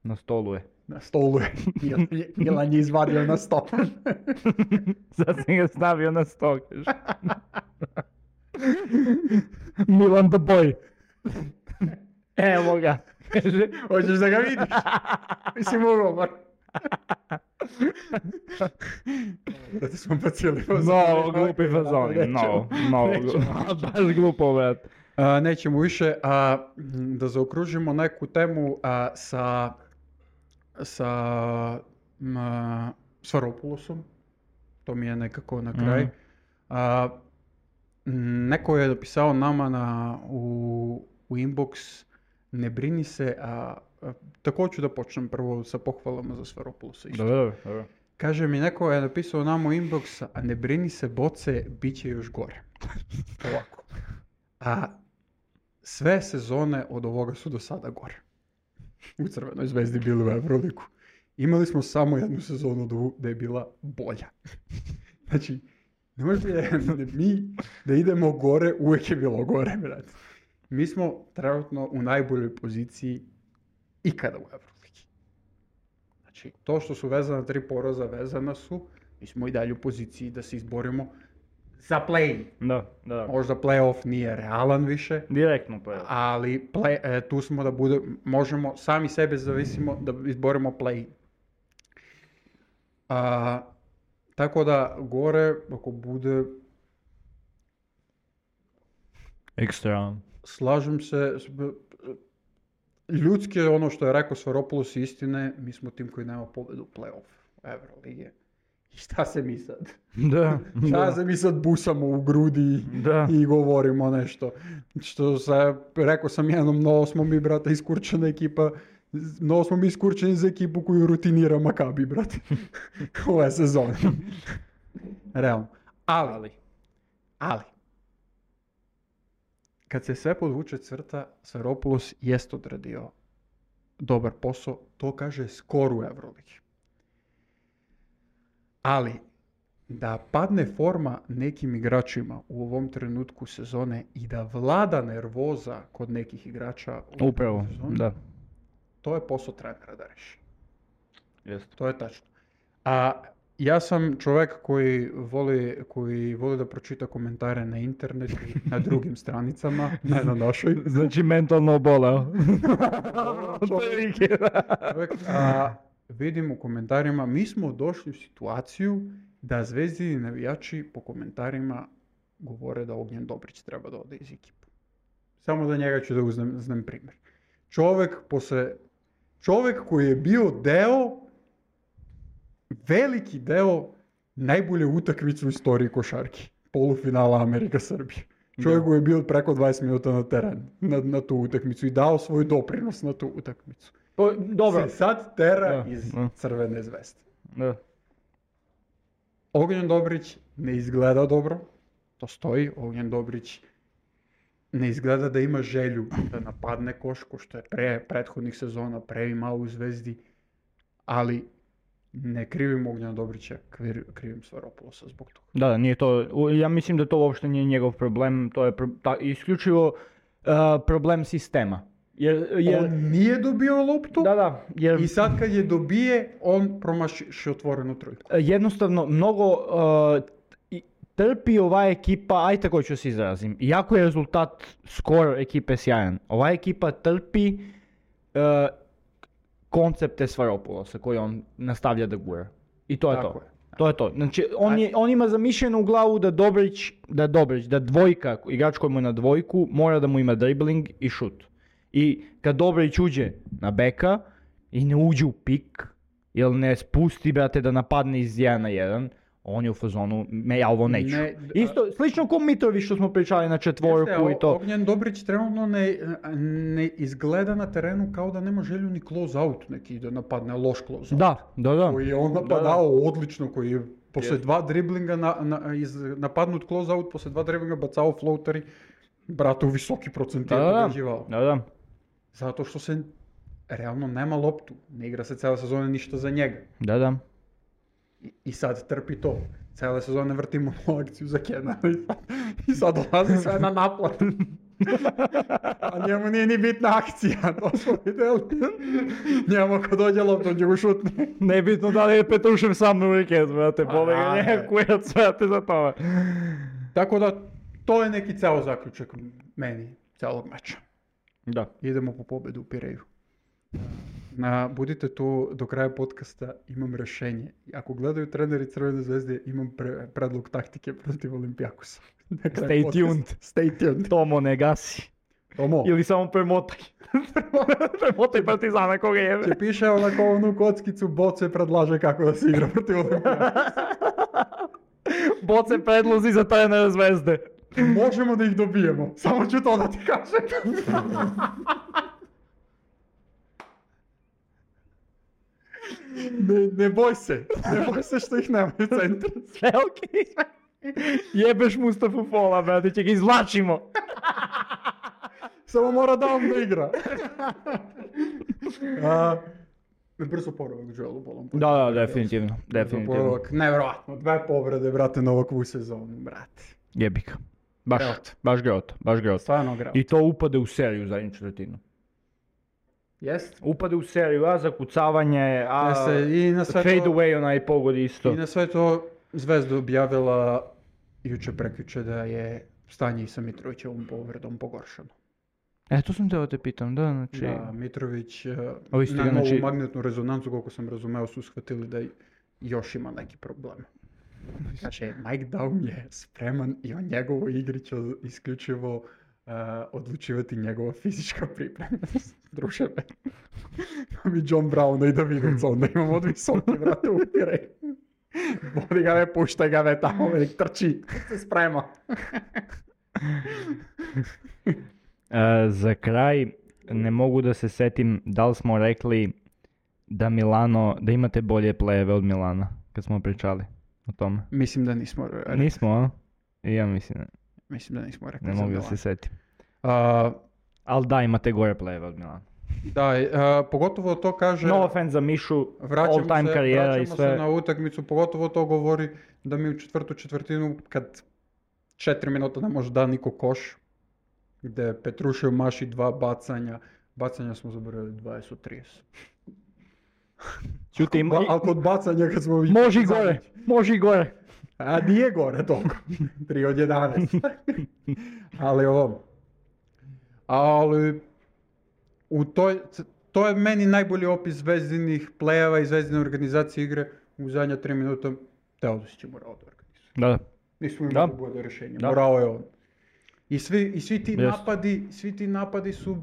Na stolu je. Na stolu je. Mil- Milan je izvadio na stol. Sad sam ga stavio na sto, kaže. Milan the boy. Evo ga. Kaže, Hoćeš da ga vidiš? Mislim ugovor. Da te smo bacili. no, glupi fazon, no, no, baš glupo, brat. A, nećemo više. A, m, da zaokružimo neku temu a, sa sa m, a, Svaropoulosom. To mi je nekako na kraj. Mhm. A, m, neko je napisao nama na, u, u inbox, ne brini se, a, a tako ću da počnem prvo sa pohvalama za Svaropoulosa. isto. Dobro, dobro, dobro. Kaže mi, neko je napisao nama u inbox, a ne brini se boce, bit će još gore. Ovako. A sve sezone od ovoga su do sada gore. U Crvenoj zvezdi bili u Evroligu. Imali smo samo jednu sezonu do- da je bila bolja. Znači, ne možete da mi da idemo gore, uvijek je bilo gore, brate. Mi smo trenutno u najboljoj poziciji ikada u Evroligi. Znači, to što su vezana tri poraza, vezana su, mi smo i dalje u poziciji da se izborimo za play. Da, da. Možda playoff nije realan više, Direktno pa je. ali play, e, tu smo da bude, možemo, sami sebe zavisimo da izborimo play. A, tako da gore, ako bude, Ekstra. slažem se, s- b- ljudski je ono što je rekao Svaropoulos istine, mi smo tim koji nema pobedu u play-off Evrolige. I šta se mi sad? Da, Šta da, se mi sad busamo u grudi da. i govorimo nešto? Što se, rekao sam jednom, mnogo smo mi, brate, iskurčena ekipa, mnogo smo mi iskurčeni za ekipu koju rutinira Makabi, brate. Ove sezone. Realno. Ali, Ali. ali, kad se sve podvuče crta, Svaropoulos jest odradio dobar posao, to kaže skor u Evroligi. Ali, da padne forma nekim igračima u ovom trenutku sezone i da vlada nervoza kod nekih igrača u Upravo, sezoni, da. to je posao trenera da reši. Jest. To je tačno. A ja sam čovjek koji voli, koji voli da pročita komentare na internetu i na drugim stranicama, ne na našoj. Znači mentalno oboleo. Čovjek, čovjek, a, vidim u komentarima, mi smo došli u situaciju da Zvezdini navijači po komentarima govore da Ognjen Dobrić treba da ode iz ekipe. Samo za njega ću da uzmem, uzmem primjer. Čovjek, posle, čovjek koji je bio deo, veliki deo najbolje utakmice u istoriji košarki. Polufinala Amerika-Srbija. Čovjek koji je bio preko dvadeset minuta na terenu, na, na tu utakmicu i dao svoj doprinos na tu utakmicu. O, dobro. Se sad tera Da, iz da. Crvene zvezde. Da. Ognjen Dobrić ne izgleda dobro, to stoji. Ognjen Dobrić ne izgleda da ima želju da napadne koš, ko što je pre prethodnih sezona, pre imao u Zvezdi, ali ne krivim Ognjena Dobrića, krivim, krivim Svaropulosa zbog toga. Da, da, nije to, u- ja mislim da to uopšte nije njegov problem, to je pro- ta, isključivo uh, problem sistema. Jer, jer, On nije dobio loptu da, da, jer i sad kad je dobije, on promaši otvorenu trojku. jednostavno mnogo uh, i- trpi ova ekipa, aj tako ću se izrazim, iako je rezultat skor ekipe sjajan, ova ekipa trpi uh, koncepte Svaropulosa koje on nastavlja da gura. I to je Tako to. je. To je to. Znači, on, Aj- je, on ima zamišljeno u glavu da Dobrić, da Dobrić, da dvojka, igrač koji mu je na dvojku, mora da mu ima dribling i šut. I kad Dobrić uđe na beka i ne uđe u pik, ili ne spusti, brate, da napadne iz jedan na jedan, on je u fazonu, me ja ovo neću. Ne, d- Isto, slično ko Mitrović što smo pričali na četvorku Jeste, i to. Ognjen Dobrić trenutno ne, ne izgleda na terenu kao da nema želju ni close out neki da napadne loš close out. Da, da, da. Koji je on Da, napadao odlično, koji je posle Jeste. dva driblinga na, na, iz, napadnut close out, posle dva driblinga bacao floateri, brate u visoki procent je Da, da, pogađivao. da, da. Zato što se realno nema loptu, ne igra se cijela sezona ništa za njega. Da, da. I, i sad trpi to. Cijele sezone vrtimo akciju za Kenana i sad, i sad dolazi sve na naplatu. A njemu nije ni bitna akcija, to smo vidjeli. Njemu kad dođe lopta, on će go šutne. Nebitno da li je Petrušev sam u wikendu, brate, Pa, boli ga da, njega da. kurac, brate, za to. Tako da, to je neki ceo zaključak meni, celog meča. Da. Idemo po pobedu u Pireju. Na, budite tu do kraja podcasta, imam rešenje. Ako gledaju treneri Crvene zvezde, imam pre, predlog taktike protiv Olimpijakosa. Na kraju Stay podcasta. tuned. Stay tuned. Tomo, ne gasi. Tomo, Ili samo premotaj. Premotaj Partizana koga jebe. će piše onako onu kockicu, Boce predlaže kako da se igra protiv Olimpijakosa. Boce predlozi za trenera Zvezde. Možemo da ih dobijemo, samo ću to da ti kažem. Ne, ne boj se, ne boj se što ih nema u centru. Sve okej. Jebeš Mustafu Fola, brate, će ga izvlačimo. Samo mora da on da igra. A, brzo poravak Joelu Bolom. Da, da, definitivno, definitivno. Poravak, nevjerovatno, dve povrede, brate, na ovakvu sezonu, brate. Jebi ga. Baš, Grot. baš grot, baš grot. Stvarno grao. I to upade u seriju u zadnju četvrtinu. Jest? Upade u seriju, a zakucavanje, a Jeste, i na sve fade to- away onaj pogodi isto. I na sve to Zvezda objavila juče prekjuče da je stanje i sa Mitrovićevom povredom pogoršano. E, to sam teo da te pitam, da, znači... Da, Mitrović eh, Ovi ste na ga, novu znači- magnetnu rezonancu, koliko sam razumeo, su shvatili da još ima neki problem. Kaže, Mike Daum je spreman i o njegovoj igri će isključivo eh, odlučivati njegova fizička pripremljenost. Druže me. Da mi John Brown i Davidovic, onda imamo od visoke, vrate, upire. Vodi ga ve, puštaj ga ve tamo, nek trči, se sprema. E, za kraj, ne mogu da se setim da li smo rekli da Milano, da imate bolje plejeve od Milana, kad smo pričali o tome. Mislim da nismo rekli. Nismo, a? I ja mislim, Mislim da nismo rekli ne za mogu da Milan. se setim. A, Ali da, imate gore plejeve od Milana. Da, uh, pogotovo to kaže... No offense za Mišu, Vraćamo all time se, karijera i vraćamo sve. se na utakmicu, pogotovo to govori da mi u četvrtu četvrtinu, kad četiri minuta ne može da niko koš, gdje Petrušev maši dva bacanja, bacanja smo zaboravili dvadeset od trideset. Čuti, Ba, ali kod bacanja kad smo... može i gore, može i gore. A nije gore toliko, tri od jedanaest. Ali ovo, ali u toj, to je meni najbolji opis Zvezdinih play-eva i Zvezdine organizacije igre u zadnja tri minuta. Teodosić je morao da organizuje. Da, da. Nismo imali Da. bolje rješenje, Da. morao je on. I svi, i svi ti Jest. napadi, svi ti napadi su,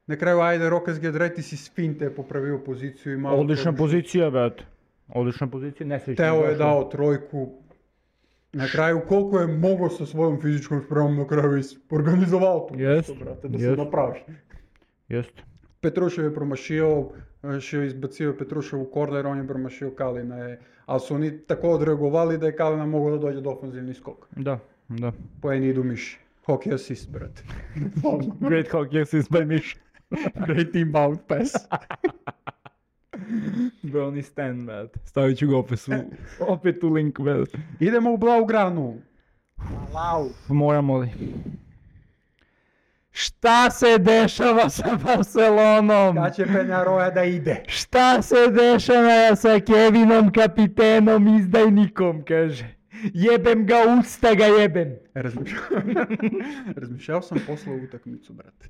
na kraju ajde Rokas Giedraitis iz finte je popravio poziciju i malo... Odlična to- pozicija, brate. Odlična pozicija, nesrećno. Teo je došao. dao trojku. Na kraju koliko je mogao sa svojom fizičkom spremom na kraju is- organizovao to. Jest, nešto, brate, da se jest. napravi. Jest. Petrušev je promašio, še je izbacio Petrušev u korner, on je promašio Kalina je, ali su oni tako odreagovali da je Kalina mogao da dođe do ofenzivni skok. Da, da. Poeni idu miši. Hockey assist, brate. Great hockey assist by Miš. Great inbound pass. Brownie Stan, brate. Stavit ću ga opet u, opet u link, brate. Idemo u Blaugranu. Moramo li? Šta se dešava sa Barcelonom? Kad će Penjaroja da ide? Šta se dešava sa Kevinom, kapitenom, izdajnikom, kaže. Jebem ga, usta ga jebem. Razmišljao, razmišljao sam posle utakmicu, brate.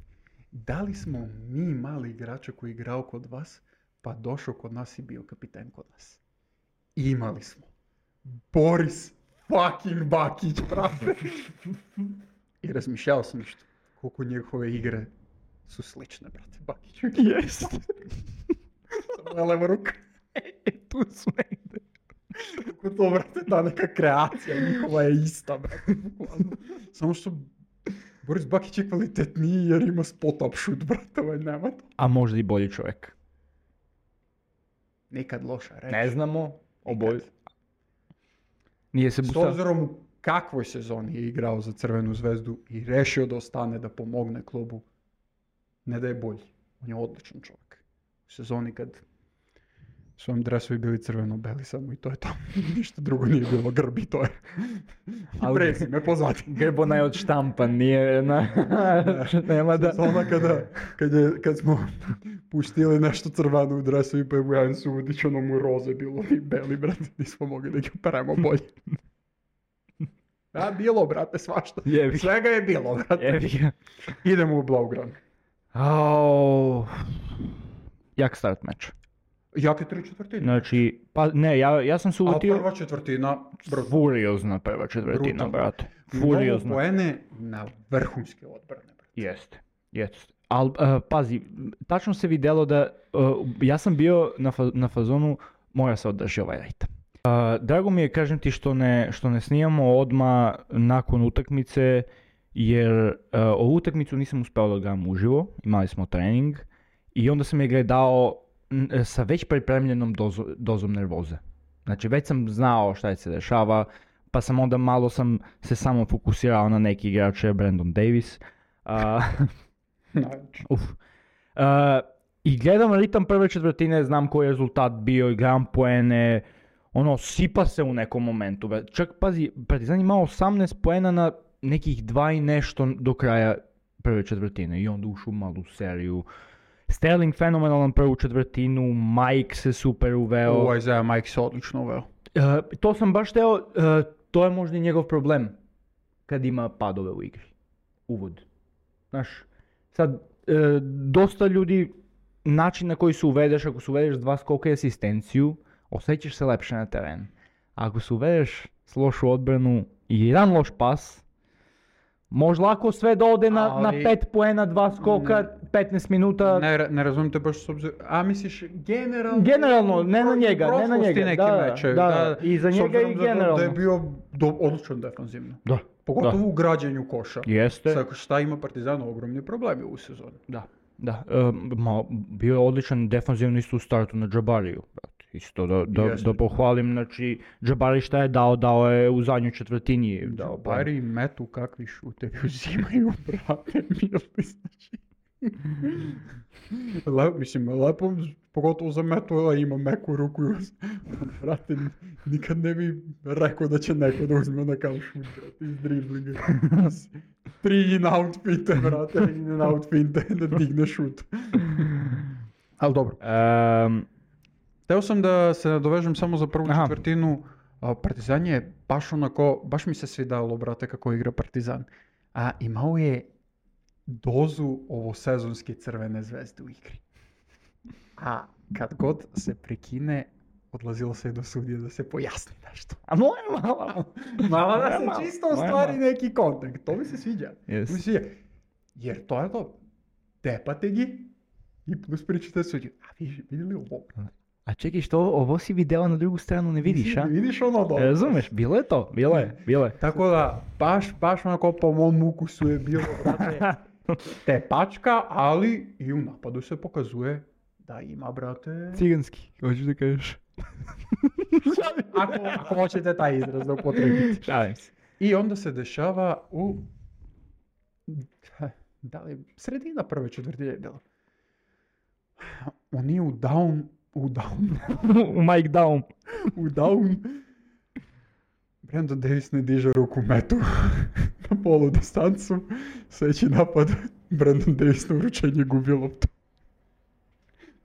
Da li smo mi mali igrača koji je igrao kod vas, pa došao kod nas i bio kapiten kod nas? Imali smo. Boris fucking Bakić, brate. I razmišljao sam što, koliko njihove igre su slične, brate, Bakiću. Jest. Samo je leva ruka. Tu su negde. Kako to, brate, ta neka kreacija njihova je ista, brate. bukvalno. Samo što Boris Bakić je kvalitetniji jer ima spot-up shoot, brate, ovaj nema to. A možda i bolji čovjek. Nikad loša reč. Ne znamo. Oboj. Nikad. Nije se S busa. obzirom u kakvoj sezoni je igrao za Crvenu zvezdu i rešio da ostane da pomogne klubu, ne da je bolji. On je odličan čovjek. U sezoni kad su vam dresovi bili crveno-beli samo i to je to. Ništa drugo nije bilo, grbi to je. Ali- Prezime pozvati. Grbona je odštampan, nije na... Nema da... Sezona kada, kad, je, kad smo pustili nešto crveno u dresovi pa je Vujan Sudić, ono mu roze bilo i beli, brate, nismo mogli da ih operemo bolje. A, bilo, brate, svašta. Jebi. Svega je bilo, brate. Jebi ga. Idemo u Blaugrad. Au. Jak start meč. Jake tri četvrtine. Znači, pa ne, ja, ja sam se A ulutio... prva četvrtina, brzo. Furiozna prva četvrtina, Brutalno. brate. Mnogo Furiozna. poene na vrhunske odbrane, brate. Jeste, jeste. Ali, pazi, tačno se vidjelo da, uh, ja sam bio na, fa- na fazonu, mora se održi ovaj rejt. Uh, drago mi je, kažem ti, što ne, što ne snimamo odmah nakon utakmice, jer uh, ovu utakmicu nisam uspio da gledam uživo, imali smo trening, i onda sam je gledao n- sa već pripremljenom dozo, dozom nervoze. Znači, već sam znao šta se dešava, pa sam onda malo sam se samo fokusirao na neki igrače, Brandon Davis. Uh, Znači, Uf. Uh, I gledam ritam prve četvrtine, znam koji je rezultat bio i gledam poene, ono, sipa se u nekom momentu. Bre. Čak, pazi, Partizan imao osamnaest poena na nekih dva i nešto do kraja prve četvrtine i onda ušao u malu seriju. Sterling fenomenalan prvu četvrtinu, Mike se super uveo. ovo Isaiah Mike se odlično uveo. Uh, to sam baš teo, uh, to je možda i njegov problem kad ima padove u igri. Uvod. Znaš, sad, uh, dosta ljudi, način na koji se uvedeš, ako se uvedeš dva skoka i asistenciju, osjećaš se lepše na teren. Ako se uvedeš s lošu odbranu i jedan loš pas, može lako sve da ode na, na Ali- pet poena, dva skoka, petnaest minuta. Ne, ra- ne razumijem te baš s obzirom, a misliš generalno? Generalno, ne na u njega, ne na prošlosti njega, neki da, mečevi, da, i za s njega obzirom i da- Da, generalno. je bio do, odličan defanzivno. Da, Pogotovo da. u građenju koša. Jeste. Sa šta ima Partizan ogromni problemi u sezoni. Da, da. E, ma, bio je odličan defanzivno isto u startu na Džabariju, brate. Isto da, da, Jeste. da pohvalim, znači, Džabari šta je dao, dao je u zadnjoj četvrtini. Dao, pa- Bari metu kakvi šutevi uzimaju, brate, mili, znači. Le, mislim, lepo, pogotovo za Metula ima meku ruku. Brate, nikad ne bi rekao da će neko da uzme na kao šut, brate, iz driblinga. Tri in out finte, brate, in out finte, da digne šut. Ali dobro. Um, Teo sam da se nadovežem samo za prvu Aha. četvrtinu. A, Partizan je baš onako, baš mi se svidalo, brate, kako igra Partizan. A imao je dozu ovosezonske Crvene zvezde u igri. A kad god se prekine, odlazilo se do sudije da se pojasni nešto. a moje malo. Malo da Malo, se čisto malo. ostvari neki kontakt. To mi se sviđa. Yes. To mi se sviđa. Jer to je to. Tepate gi i plus pričate sudiju. A vi vidjeli ovo? A čekaj, što ovo si video na drugu stranu ne vidiš, a? Ne vidiš ono dobro. Razumeš, bilo je to, bilo je, bilo je. Tako da, baš, baš onako po mom ukusu je bilo, brate, tepačka, ali i u napadu se pokazuje da ima, brate... Ciganski, hoćeš da kažeš. Ako, ako hoćete taj izraz da upotrebite. Šalim se. I onda se dešava u... Da li sredina prve četvrtine je bilo? Oni u down... U down... U Mike Down. u down... Brandon Davis ne diže ruku metu na polu distancu. Sljedeći napad, Brandon Davis na uručenje gubi loptu.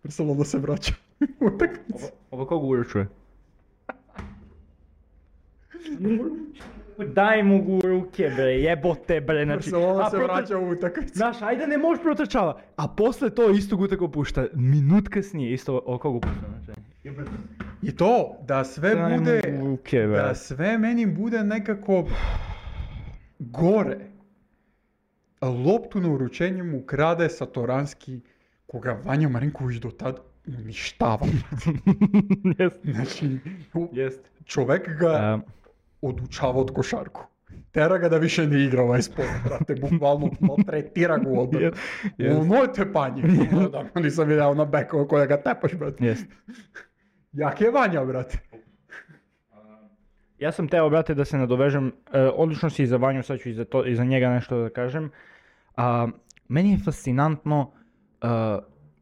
Barcelona se vraća u utakmicu. Ovo koga uručuje? Daj mu gu ruke bre, jebote bre, znači... Barcelona a se protiv- vraća u utakmicu. Znaš, ajde ne možeš protrčava, a posle to istog utakmicu pušta, minut kasnije isto o koga pušta, znači. I to, da sve Daj mu bude, ruke, bre. da sve meni bude nekako gore. Loptu na uručenje mu krade Satoranski, koga Vanja Marinković do tad uništava. Jest, Znači, u- jest. čovek ga Um, odučava od košarku. Tera ga da više ne igra ovaj sport, brate, bukvalno maltretira ga od Yes, yes. ono je tepanje. Da, nisam vidio na bekova koja ga tepaš, brate. jest. Jak je Vanja, brate. Ja sam teo, brate, da se nadovežem, e, odlično si i za Vanju, sad ću i za, to, i za njega nešto da kažem. A, meni je fascinantno, e,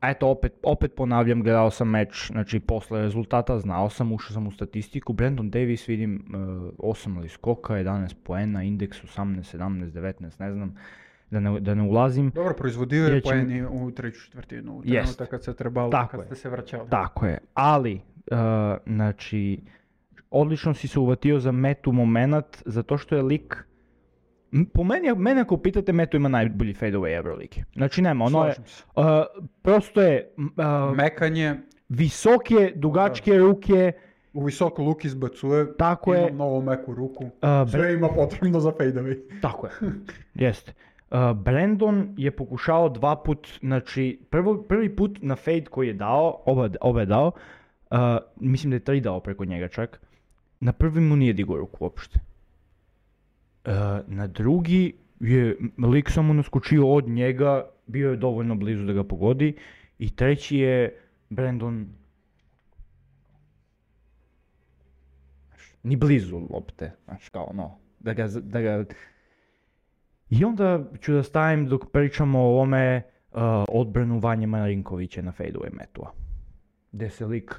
a eto, opet, opet ponavljam, gledao sam meč, znači posle rezultata, znao sam, ušao sam u statistiku, Brandon Davis vidim e, osam ali skoka, jedanaest poena, indeks osamnaest, sedamnaest, devetnaest, ne znam, da ne, da ne ulazim. Dobro, proizvodio je Ja ću- poeni u treću četvrtinu, u Jest. trenutak kad se trebalo, Tako kad je. ste se vraćali. Tako je, ali, e, znači, odlično si se uvatio za Metu moment, zato što je lik, m, po meni, mene ako pitate, Metu ima najbolji fadeaway Euroligi. Znači nema, ono je, Slažem se. uh, prosto je, m, uh, Mekanje, visoke, dugačke ruke, u visoku luk izbacuje, tako ima je, mnogo meku ruku. uh, Bre- Sve ima potrebno za fadeaway. tako je, jeste. Uh, Brandon je pokušao dva put, znači prvo, prvi put na fade koji je dao, oba, oba je dao, uh, mislim da je tri dao preko njega čak, na prvi mu nije digao ruku uopšte. Uh, na drugi je lik samo naskočio od njega, bio je dovoljno blizu da ga pogodi, i treći je Brandon ni blizu lopte, znaš kao ono, da ga, da ga... I onda ću da stavim dok pričamo o ovome uh, odbranu Vanje Marinkovića na fadeaway metua. Gde se lik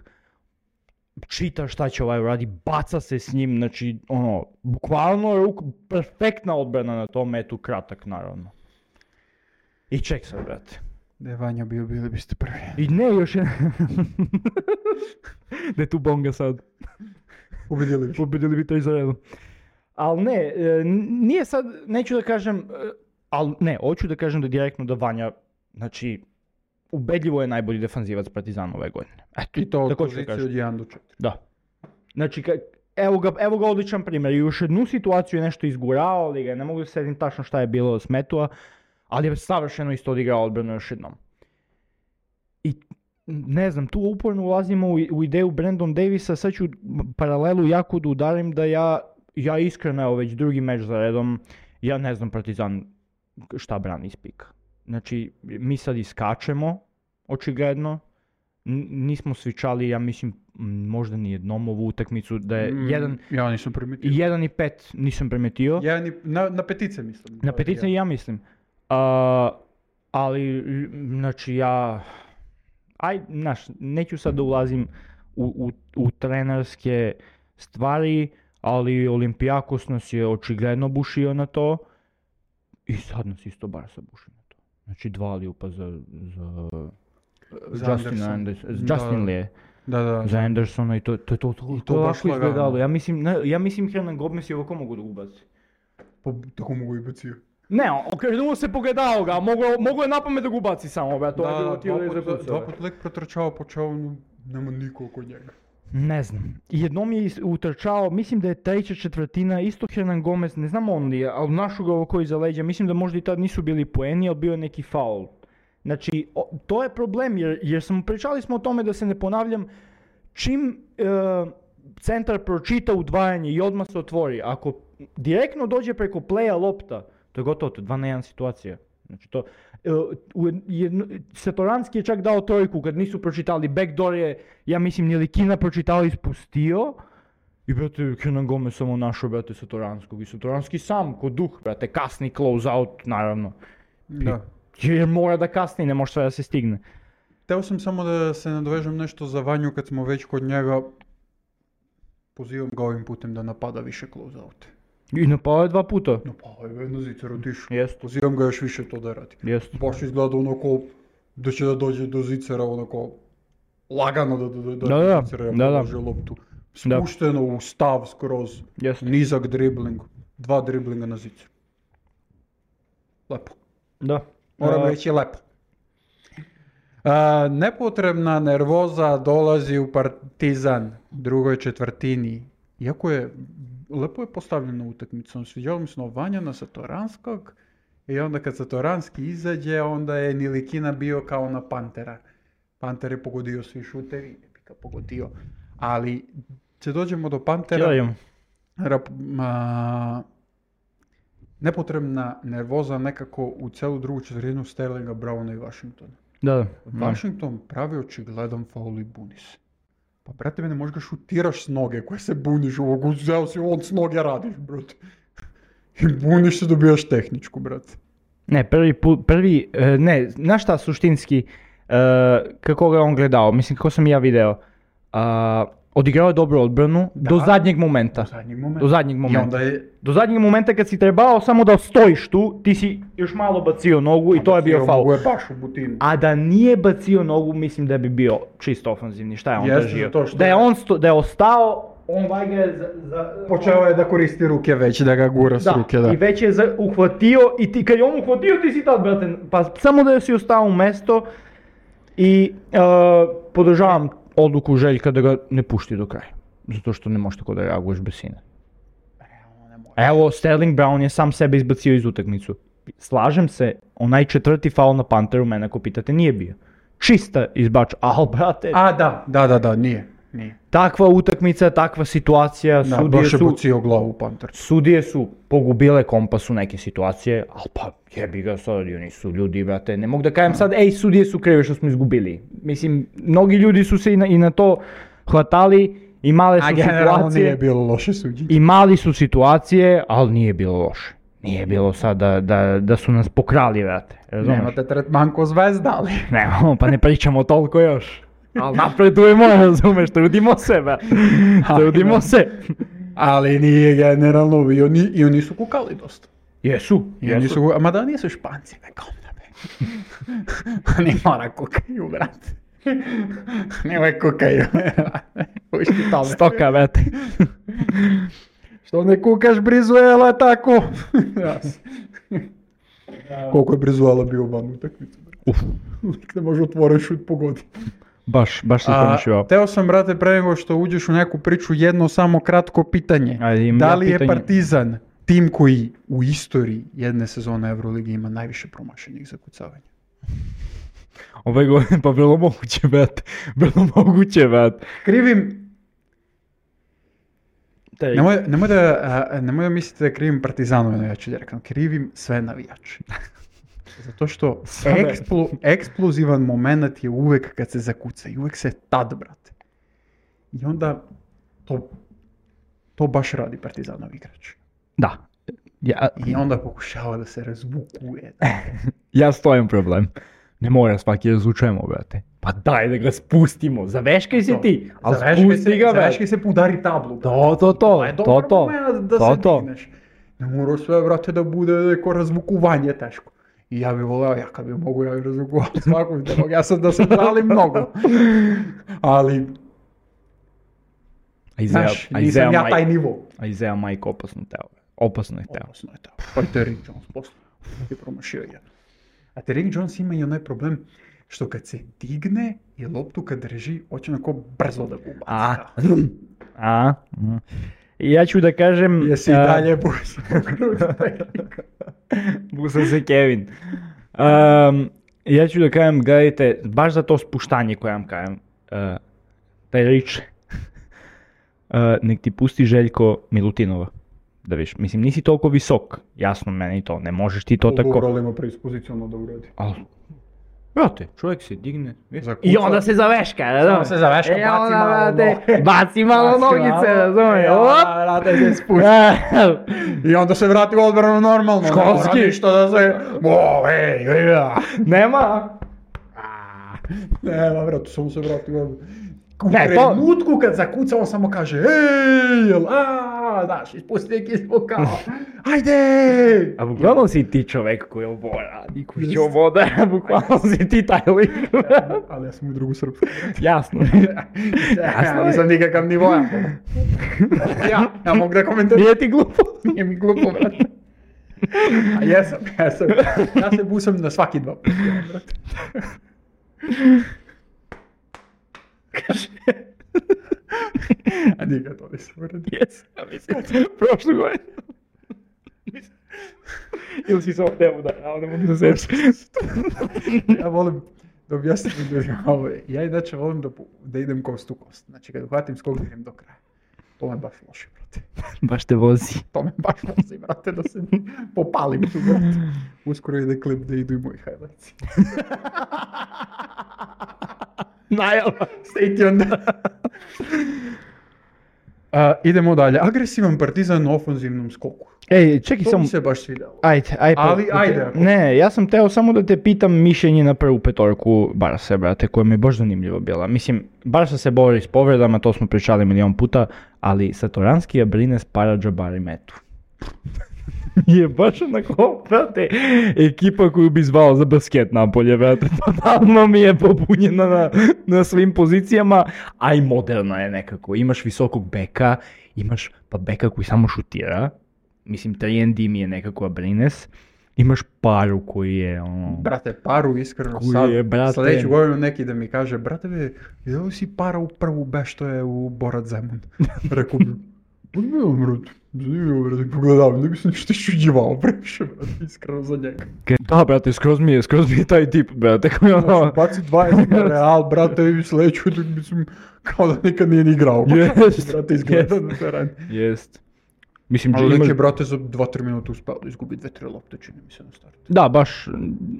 čita šta će ovaj uradi, baca se s njim, znači ono, bukvalno ruk, perfektna odbrana na tom metu, kratak naravno. I ček sad, brate. Da je Vanja bio, bili biste prvi. I ne, još je... da je tu bonga sad. Ubedili bi. Pobedili bi to iz redom. Ali ne, e, nije sad, neću da kažem, e, ali ne, hoću da kažem da direktno da Vanja, znači, ubedljivo je najbolji defanzivac Partizana ove godine. Eto, I to od tako ću da pozicije kažem. od jedan do četiri. Da. Znači, ka, evo, ga, evo ga odličan primjer. I još jednu situaciju je nešto izgurao, ali ga ne mogu da sedim tačno šta je bilo s Metua, ali je savršeno isto odigrao odbranu još jednom. I ne znam, tu uporno ulazimo u, u ideju Brandon Davisa, sad ću paralelu jako da udarim da ja, ja iskreno, evo već drugi meč za redom, ja ne znam Partizan šta brani iz pika. Znači, mi sad iskačemo, očigledno, N- nismo svičali, ja mislim, m, možda ni jednom ovu utakmicu, da je Mm, jedan, Ja nisam primetio. jedan i pet nisam primetio. Jedan i, na, na petice mislim. Na petice i ja mislim. A, Ali, znači ja, aj, znaš, neću sad da ulazim u, u, u trenerske stvari, ali Olympiakos nas je očigledno bušio na to i sad nas isto Barca buši na to. Znači dva liupa za, za, Za Justin Anderson. Anderson, Da. Justin Lee Da, da. za Andersona i to, to, to, to, I to, to baš lako lagano. izgledalo. Ja mislim, ne, ja mislim Hernan Gomez je ovako mogu da ubaci. Pa tako mogu i bacio. Ne, okrenuo se pogledao ga, mogo, mogo je napamet da ga ubaci samo, be, to je bilo Da, tijelo dva iza put, kuca. dva put lik protrčao, počeo, no, nema nikog kod njega. Ne znam. Jednom je is- utrčao, mislim da je treća četvrtina, isto Hernan Gomez, ne znam on li je, ali našu ga ovako iza leđa, mislim da možda i tad nisu bili poeni, ali bio je neki faul. Znači, o, to je problem, jer, jer smo pričali smo o tome da se ne ponavljam, čim e, centar pročita udvajanje i odmah se otvori, ako direktno dođe preko playa lopta, to je gotovo, to je dva na jedan situacija. Znači to, e, u jedno, Satoranski je čak dao trojku kad nisu pročitali, backdoor je, ja mislim, Nilikina pročitao i ispustio. I brate, Hernan Gomez samo našao, brate, Satoranskog. I Satoranski sam, ko duh, brate, kasni close out, naravno. Da. Jer mora da kasni, ne može sve da se stigne. Teo sam samo da se nadovežem nešto za Vanju kad smo već kod njega. Pozivam ga ovim putem da napada više close-out. I napao je dva puta. Napao je jedno zicer otišao. Jest, Pozivam ga još više to da radi. jest. Baš izgleda onako da će da dođe do zicera onako lagano da da da Da, da, zicera da, da. položi loptu. Spušteno u stav skroz. Jest. Nizak dribling. Dva driblinga na zicer. Lepo. Da. Moram A, reći lepo. A, nepotrebna nervoza dolazi u Partizan drugoj četvrtini. Iako je, lepo je postavljena utakmica. Sviđalo mi se Vanja na Satoranskog i onda kad Satoranski izađe, onda je Nilikina bio kao na Pantera. Panter je pogodio svi šuteri, ne bi ga pogodio. Ali, će dođemo do Pantera. Kjeljom. Rap, ma, nepotrebna nervoza nekako u celu drugu četvrtinu Sterlinga, Browna i Washingtona. Da, da. Washington pravi očigledan faul i buni se. Pa brate, me ne možeš ga šutiraš s noge koje se buniš, ovog uzeo si on s noge radiš, brate. I buniš se, dobijaš tehničku, brate. Ne, prvi put, prvi, e, ne, znaš šta suštinski, e, kako ga je on gledao, mislim kako sam i ja video, a, odigrao je dobru odbranu Da. do zadnjeg momenta. Do zadnjeg momenta. Do zadnjeg I momenta. onda je... Do zadnjeg momenta kad si trebao samo da stojiš tu, ti si još malo bacio nogu i to je bio faul. Mogu je baš u butinu. A da nije bacio nogu, mislim da bi bio čisto ofanzivni. Šta je on Jeste, držio? zato što Da je je- on sto, da je ostao, on valjda je za, za, Počeo je da koristi ruke već, da ga gura s da, ruke, da. i već je za, uhvatio i ti, kad je on uhvatio ti si tad, brate, pa samo da si ostao u mesto i uh, podržavam odluku Željka da ga ne pušti do kraja. Zato što ne možeš tako da reaguješ bez sine. Evo, Sterling Brown je sam sebe izbacio iz utakmicu. Slažem se, onaj četvrti faul na Panteru, mene ako pitate, nije bio. Čista izbač, al brate, A, da, da, da, da, nije, nije. takva utakmica, takva situacija, Da, sudije baš je su... bacio glavu u Panter. Sudije su pogubile kompas u neke situacije, ali pa jebi ga sad, oni su ljudi, brate, ne mogu da kažem sad, ej, sudije su krive što smo izgubili. Mislim, mnogi ljudi su se i na, i na to hvatali, imale su A generalno situacije, nije bilo loše suđenje. imali su situacije, ali nije bilo loše. Nije bilo sad da, da, da su nas pokrali, brate, razumeš? Nemate tretman ko zvezda, ali... Nemamo, pa ne pričamo toliko još. Ali napredujemo, razumeš, trudimo se, brate. Trudimo se. Ali nije generalno, i oni, i oni su kukali dosta. Jesu, I oni jesu. su, ma da nisu Španci, nekom da be. Oni mora kukaju, brate. Oni uvek kukaju, brate. Pušti tome. Stoka, brate. Što ne kukaš Brizuela tako? Jas. Koliko je Brizuela bio van utakmicu, brate. Uf. Uvijek ne može otvoren šut pogodi. Baš, baš se A, pomišljava. teo sam, brate, pre nego što uđeš u neku priču, jedno samo kratko pitanje. Ajde, imam Da ja li je pitanje. Partizan tim koji u istoriji jedne sezone Euroligi ima najviše promašenih zakucavanja? Ove godine, pa vrlo moguće, brate. Vrlo moguće, brate. Krivim, Taj- nemoj, nemoj, da, a, nemoj da mislite da krivim Partizanove navijače direktno, krivim sve navijače. Zato što Sve. eksplo, eksplozivan moment je uvek kad se zakuca i uvek se tad, brate. I onda to, to baš radi Partizanov igrač. Da. Ja, I onda pokušava da se razvukuje. ja s to imam problem. Ne mora svaki razvučujemo, brate. Pa daj da ga spustimo, zaveškaj se ti, ali spusti ga, brate. Zaveškaj se, udari tablu. To, to, to, je to, dobar to, moment da to, se to. digneš. Ne mora sve, brate, da bude neko razvukovanje teško. I ja bih voleo, ja kad bi mogu, ja bih razvukovao svakog demog, ja sam da se žalim mnogo. Ali, A Izeja- znaš, a nisam Izeja ja maj- taj nivo. A Izeja majka opasno teo. Opasno je teo. Opasno je to. Pa Terry Jones posle je promašio jedan. A Terry Jones ima i onaj problem što kad se digne i loptu kad drži, hoće onako brzo da ga ubaci. A, a, mm. Ja ću da kažem... Jesi i a, dalje busi. Busa se Kevin. Um, ja ću da kažem, gledajte, baš za to spuštanje koje vam kažem, uh, taj rič, uh, nek ti pusti Željko Milutinova. Da viš, mislim, nisi toliko visok, jasno meni to, ne možeš ti to tako... Dobro, ima predispoziciono da uradi. Al, brate, čovjek se digne Zakuca. i onda se zaveška, razumiješ? se zaveška, E, baci onda, malo brate, noge. baci malo Baci nogice, malo, razumiješ? e, Op! onda, brate, se spusti. I onda se vrati u odbranu normalno. Školski. Ne mora ništa da se... O, ej, ej, ja. Nema? Nema, brate, samo se vrati u odbranu. U Ne, to- trenutku kad zakuca, on samo kaže ej, jel, a, znaš, ispusti neki zvuk kao, ajde! A bukvalno si ti čovek koji ovo radi, koji će ovo da, bukvalno si ti taj lik. Ali ja sam u drugu srpsku. Jasno. Ja nisam nikakav nivoja. Ja, ja mogu da komentiram. Nije ti glupo. Nije mi glupo, brate. A jesam, jesam. Ja se busam na svaki dva puta, brate. A nikad to nisam uradio. Jes, ja mislim, prošlu godinu. Ili si se ovo temu da, ja ne mogu da se Ja volim da objasnim ljudima ovo. Ja inače volim da, da idem kost u kost. Znači kad uhvatim skok da idem do kraja. To me baš loši, brate. Baš te vozi. To me baš vozi, brate, da se popalim tu, brate. Uskoro ide klip da idu i moji highlights. Najava. Stay tuned. A, idemo dalje. Agresivan Partizan na ofenzivnom skoku. Ej, čekaj To samo. mi se baš svidjelo. Ajde, ajde. pa- Ali, ajde, ako- Ne, ja sam teo samo da te pitam mišljenje na prvu petorku Barse, brate, koja mi je baš zanimljiva bila. Mislim, Barsa se bori s povredama, to smo pričali milion puta, ali Satoranski je brine s Paradžabari metu. Je baš onako, brate, ekipa koju bi zvao za basket napolje, brate, totalno mi je popunjena na, na svim pozicijama, a i moderna je nekako. Imaš visokog beka, imaš pa beka koji samo šutira, mislim, tri en de mi je nekako brines, imaš Paru koji je ono... Brate, Paru iskreno Koji sad, je, brate? sljedeću godinu neki da mi kaže, brate, be, vidjeli si Para u prvu be što je u Borat Zemun? Rekao bi, pa ne, brate, zanimljivo, brate, pogledam, ne bi se ništa išuđivao previše, brate, iskreno za njega. Da, brate, skroz mi je, skroz mi je taj tip, brate, koji ono... Znači, baci dvadeset na Real, brate, i sljedeću, da mislim, kao da nikad nije ni igrao. Jest, Brate, izgleda jest. na terenu. Jest. Mislim, Ali imaš- neki je, brate, za dva tri minuta uspeo da izgubi dve tri lopte, čini mi se na startu. Da, baš,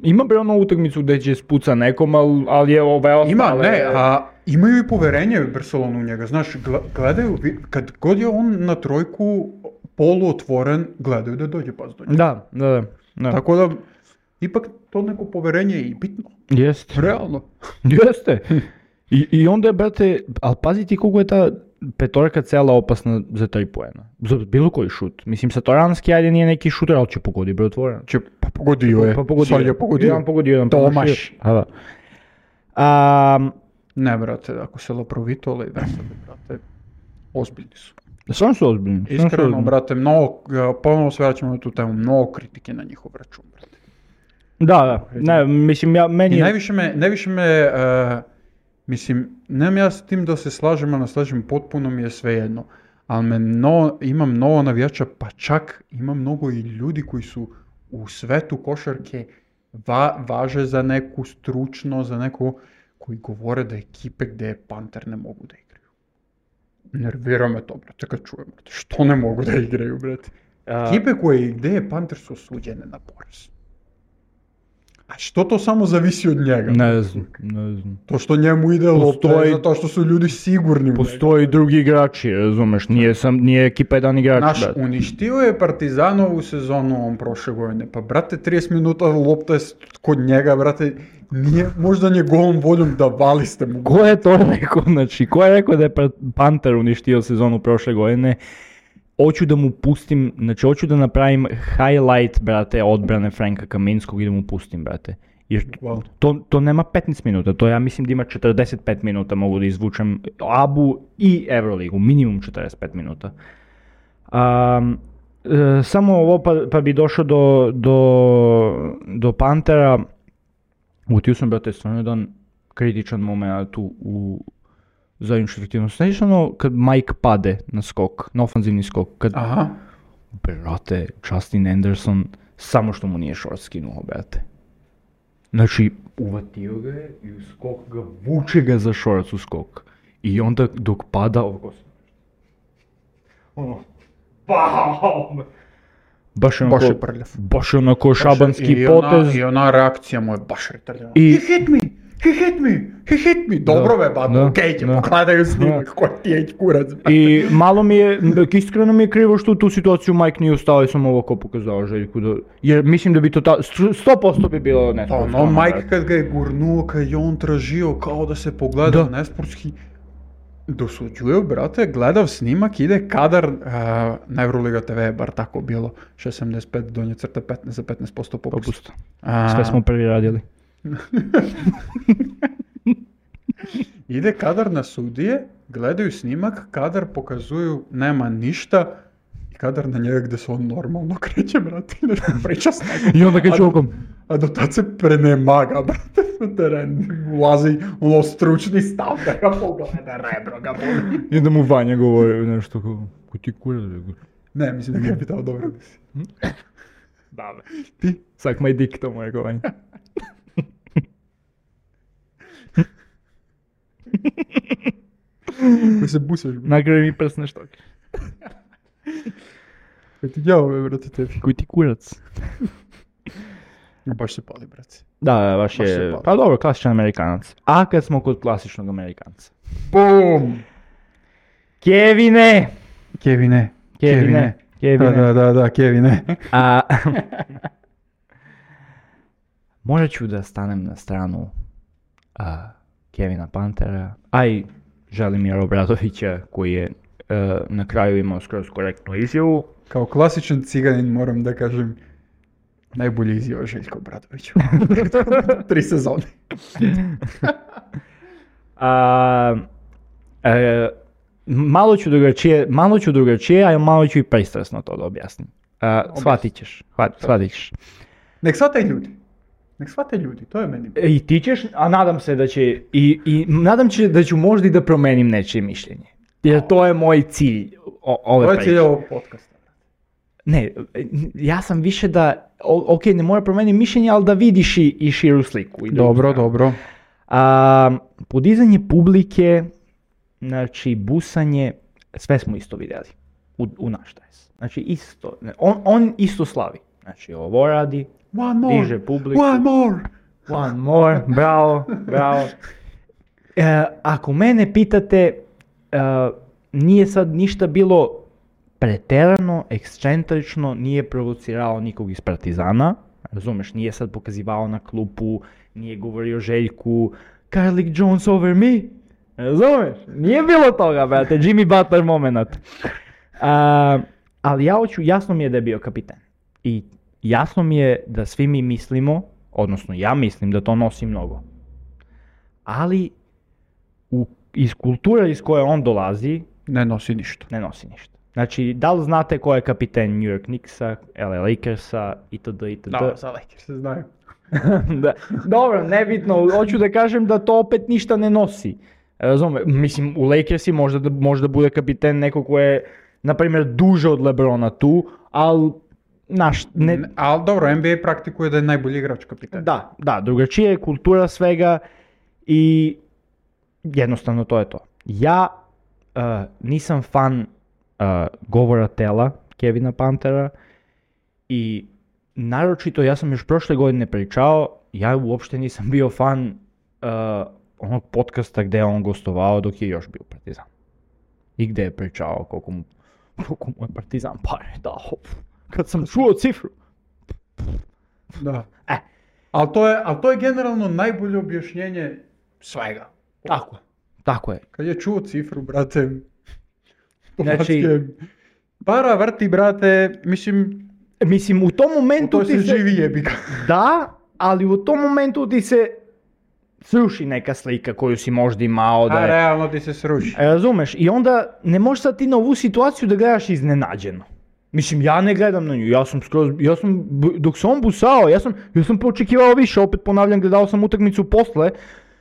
ima bre ono utakmicu gdje će spuca nekom, ali, ali je ove ostale... Ima, ne, a imaju i poverenje u Barcelonu u njega, znaš, gle- gledaju, vi- kad god je on na trojku polu otvoren, gledaju da dođe pas do njega. Da, da, da. da. Tako da, ipak to neko poverenje je i bitno, Jest. realno. Jeste. I, I onda je, brate, ali pazi ti koliko je ta petorka cela opasna za tri poena. Za bilo koji šut. Mislim, Satoranski, ajde nije neki šuter, ali će pogodi, bre, otvoren. Će, pa pogodio je, Pa pogodio. sad je pogodio. Jedan pogodio, jedan Tomaš. promašio. A, da. A, Ne, brate, ako se Laprovito ili Versade, brate, ozbiljni su. stvarno su ozbiljni. stvarno su Iskreno, ozbiljni. brate, mnogo, ponovno se vraćamo na tu temu, mnogo kritike na njihov račun, brate. Da, da. Ne, mislim, ja, meni... I je- najviše me, najviše me, e, mislim, nemam ja s tim da se slažem, ali ne slažem, potpuno mi je svejedno. Ali me no, ima mnogo navijača, pa čak ima mnogo i ljudi koji su u svetu košarke va, važe za neku stručno, za neku, koji govore da ekipe gdje Panter ne mogu da igraju. Nervira me to, brate, kad čujem, brate, što ne mogu da igraju, brate. a, Ekipe koje gdje je Panter su osuđene na poraz. A Što to samo zavisi od njega? Ne znam, ne znam. To što njemu ide lopta Postoji- je zato što su ljudi sigurni u njega. Postoji drugi igrači, razumeš, nije, sam, nije ekipa jedan igrač, Znaš, brate. uništio je Partizanovu sezonu on prošle godine. Pa, brate, trideset minuta lopta je kod njega, brate, nije možda njegovom voljom da vali ste mu. Ko je to rekao, znači, ko je rekao da je Pa- Panter uništio sezonu prošle godine? Hoću da mu pustim, znači hoću da napravim highlight, brate, odbrane Franka Kaminskog i da mu pustim, brate. Jer Wow. to, to nema petnaest minuta, to ja mislim da ima četrdeset pet minuta, mogu da izvučem Abu i Euroligu, minimum četrdeset pet minuta. Um, e, samo ovo pa, pa bi došao do, do, do Pantera. Utio sam, brate, stvarno jedan kritičan moment tu u zajedničku efektivnost. Znači ono kad Mike pade na skok, na ofanzivni skok, kad, Aha. brate, Justin Anderson samo što mu nije short skinuo, brate. Znači, uvatio ga je i u skok ga, vuče ga za shorts u skok. I onda dok pada, ovako se... Ono, bam! Baš je onako, Baš je prljav. baš je onako šabanski I potez. Ona, I ona reakcija mu je baš retardana. I- He hit me! He hit me! He hit me! Dobro Da, be, ba, da, okej će, da. pogledaju snimak, ko ti je kurac. I malo mi je, iskreno mi je krivo što u tu situaciju Mike nije ustao i sam ovako pokazao Željku da, jer mislim da bi to ta, sto posto bi bilo Pa nesportski. no, Mike kad ga je gurnuo, kad je on tražio kao da se pogleda Da. nesportski, dosuđuju, brate, gledav snimak, ide kadar, a, na Euroliga te ve je bar tako bilo, šezdeset pet donje crta petnaest za petnaest posto popust. Popust. A, Sve smo prvi radili. Ide kadar na sudije, gledaju snimak, kadar pokazuju nema ništa, i kadar na njega gdje se on normalno kreće, brate, i nešto priča s nekom. I onda kad A- čokom. A do tad se prenemaga, brate, na teren, ulazi ono stručni stav da ga pogleda, rebro ga boli. I da mu Vanja govori nešto kao, ko ti kurac, rekao. Ne, mislim da ga je pitao dobro da si. Da, ti? Sak my dick, to mu je Vanja. Koji se busaš, brate. Nakraj mi prsne štoke. Koji ti djavo, be, brate, tebi. Koji ti kurac. Baš se pali, brate. Da, baš Baš se je, pali. pa dobro, klasičan Amerikanac. A kad smo kod klasičnog Amerikanca. Bum! Kevine! Kevine. Kevine. Da, Kevine. da, da, da, Kevine. A, možda ću da stanem na stranu a, Kevina Pantera, a i Želimira Obradovića koji je a, na kraju imao skroz korektnu izjavu. Kao klasičan ciganin moram da kažem, najbolji izjava Željko Obradoviću. Tri sezone. A, e, malo ću drugačije, malo ću drugačije, a malo ću i pristrasno to da objasnim. A, shvatit ćeš, hvat- shvatit ćeš. Nek shvate ljudi. Nek shvate ljudi, to je meni. I ti ćeš, a nadam se da će, i, i nadam se da ću možda i da promenim nečije mišljenje. Jer to je moj cilj o, ove To je priče. cilj ovog podcasta. Ne, ja sam više da, o- ok, ne mora promeniti mišljenje, ali da vidiš i, i širu sliku. I drugu Dobro, stranu. dobro. A, podizanje publike, znači busanje, sve smo isto vidjeli u, u naš tajs. Znači isto, ne, on, on isto slavi. Znači ovo radi, One more. diže publiku. One more. One more, bravo, bravo. E, ako mene pitate, e, nije sad ništa bilo preterano, ekscentrično, nije provocirao nikog iz Partizana, razumeš, nije sad pokazivao na klupu, nije govorio Željku, Karlik Jones over me, razumeš, nije bilo toga, brate, Jimmy Butler moment. A, ali ja hoću, jasno mi je da je bio kapiten i jasno mi je da svi mi mislimo, odnosno ja mislim da to nosi mnogo, ali u, iz kulture iz koje on dolazi, Ne nosi ništa. ne nosi ništa. Znači, da li znate ko je kapiten New York Knicksa, L A Lakersa, itd. itd. Da, za Lakers se znaju. Da. Dobro, nebitno, hoću da kažem da to opet ništa ne nosi. Razume, mislim, u Lakersi možda da, možda bude kapiten neko ko je, na primjer, duže od LeBrona tu, ali, naš, ne, Ne, ali dobro, N B A praktikuje da je najbolji igrač kapitan. da, da, drugačije je kultura svega i jednostavno to je to. Ja uh, nisam fan uh, govora tela Kevina Pantera i naročito, ja sam još prošle godine pričao, ja uopšte nisam bio fan uh, onog podcasta gdje je on gostovao dok je još bio Partizan. I gdje je pričao koliko mu, koliko mu je Partizan pare dao. Kad sam čuo cifru. Da. E. Ali to, je, al to je generalno najbolje objašnjenje svega. Tako je. Tako je. Kad je čuo cifru, brate, Znači, para vrti, brate, mislim, mislim u tom momentu to ti se se... živi jebiga. Da, ali u tom momentu ti se sruši neka slika koju si možda imao da A je... realno ti se sruši. Razumeš? I onda ne možeš sad ti na ovu situaciju da gledaš iznenađeno. Mislim, ja ne gledam na nju, ja sam skroz, ja sam, dok sam on busao, ja sam, ja sam očekivao više, opet ponavljam, gledao sam utakmicu posle,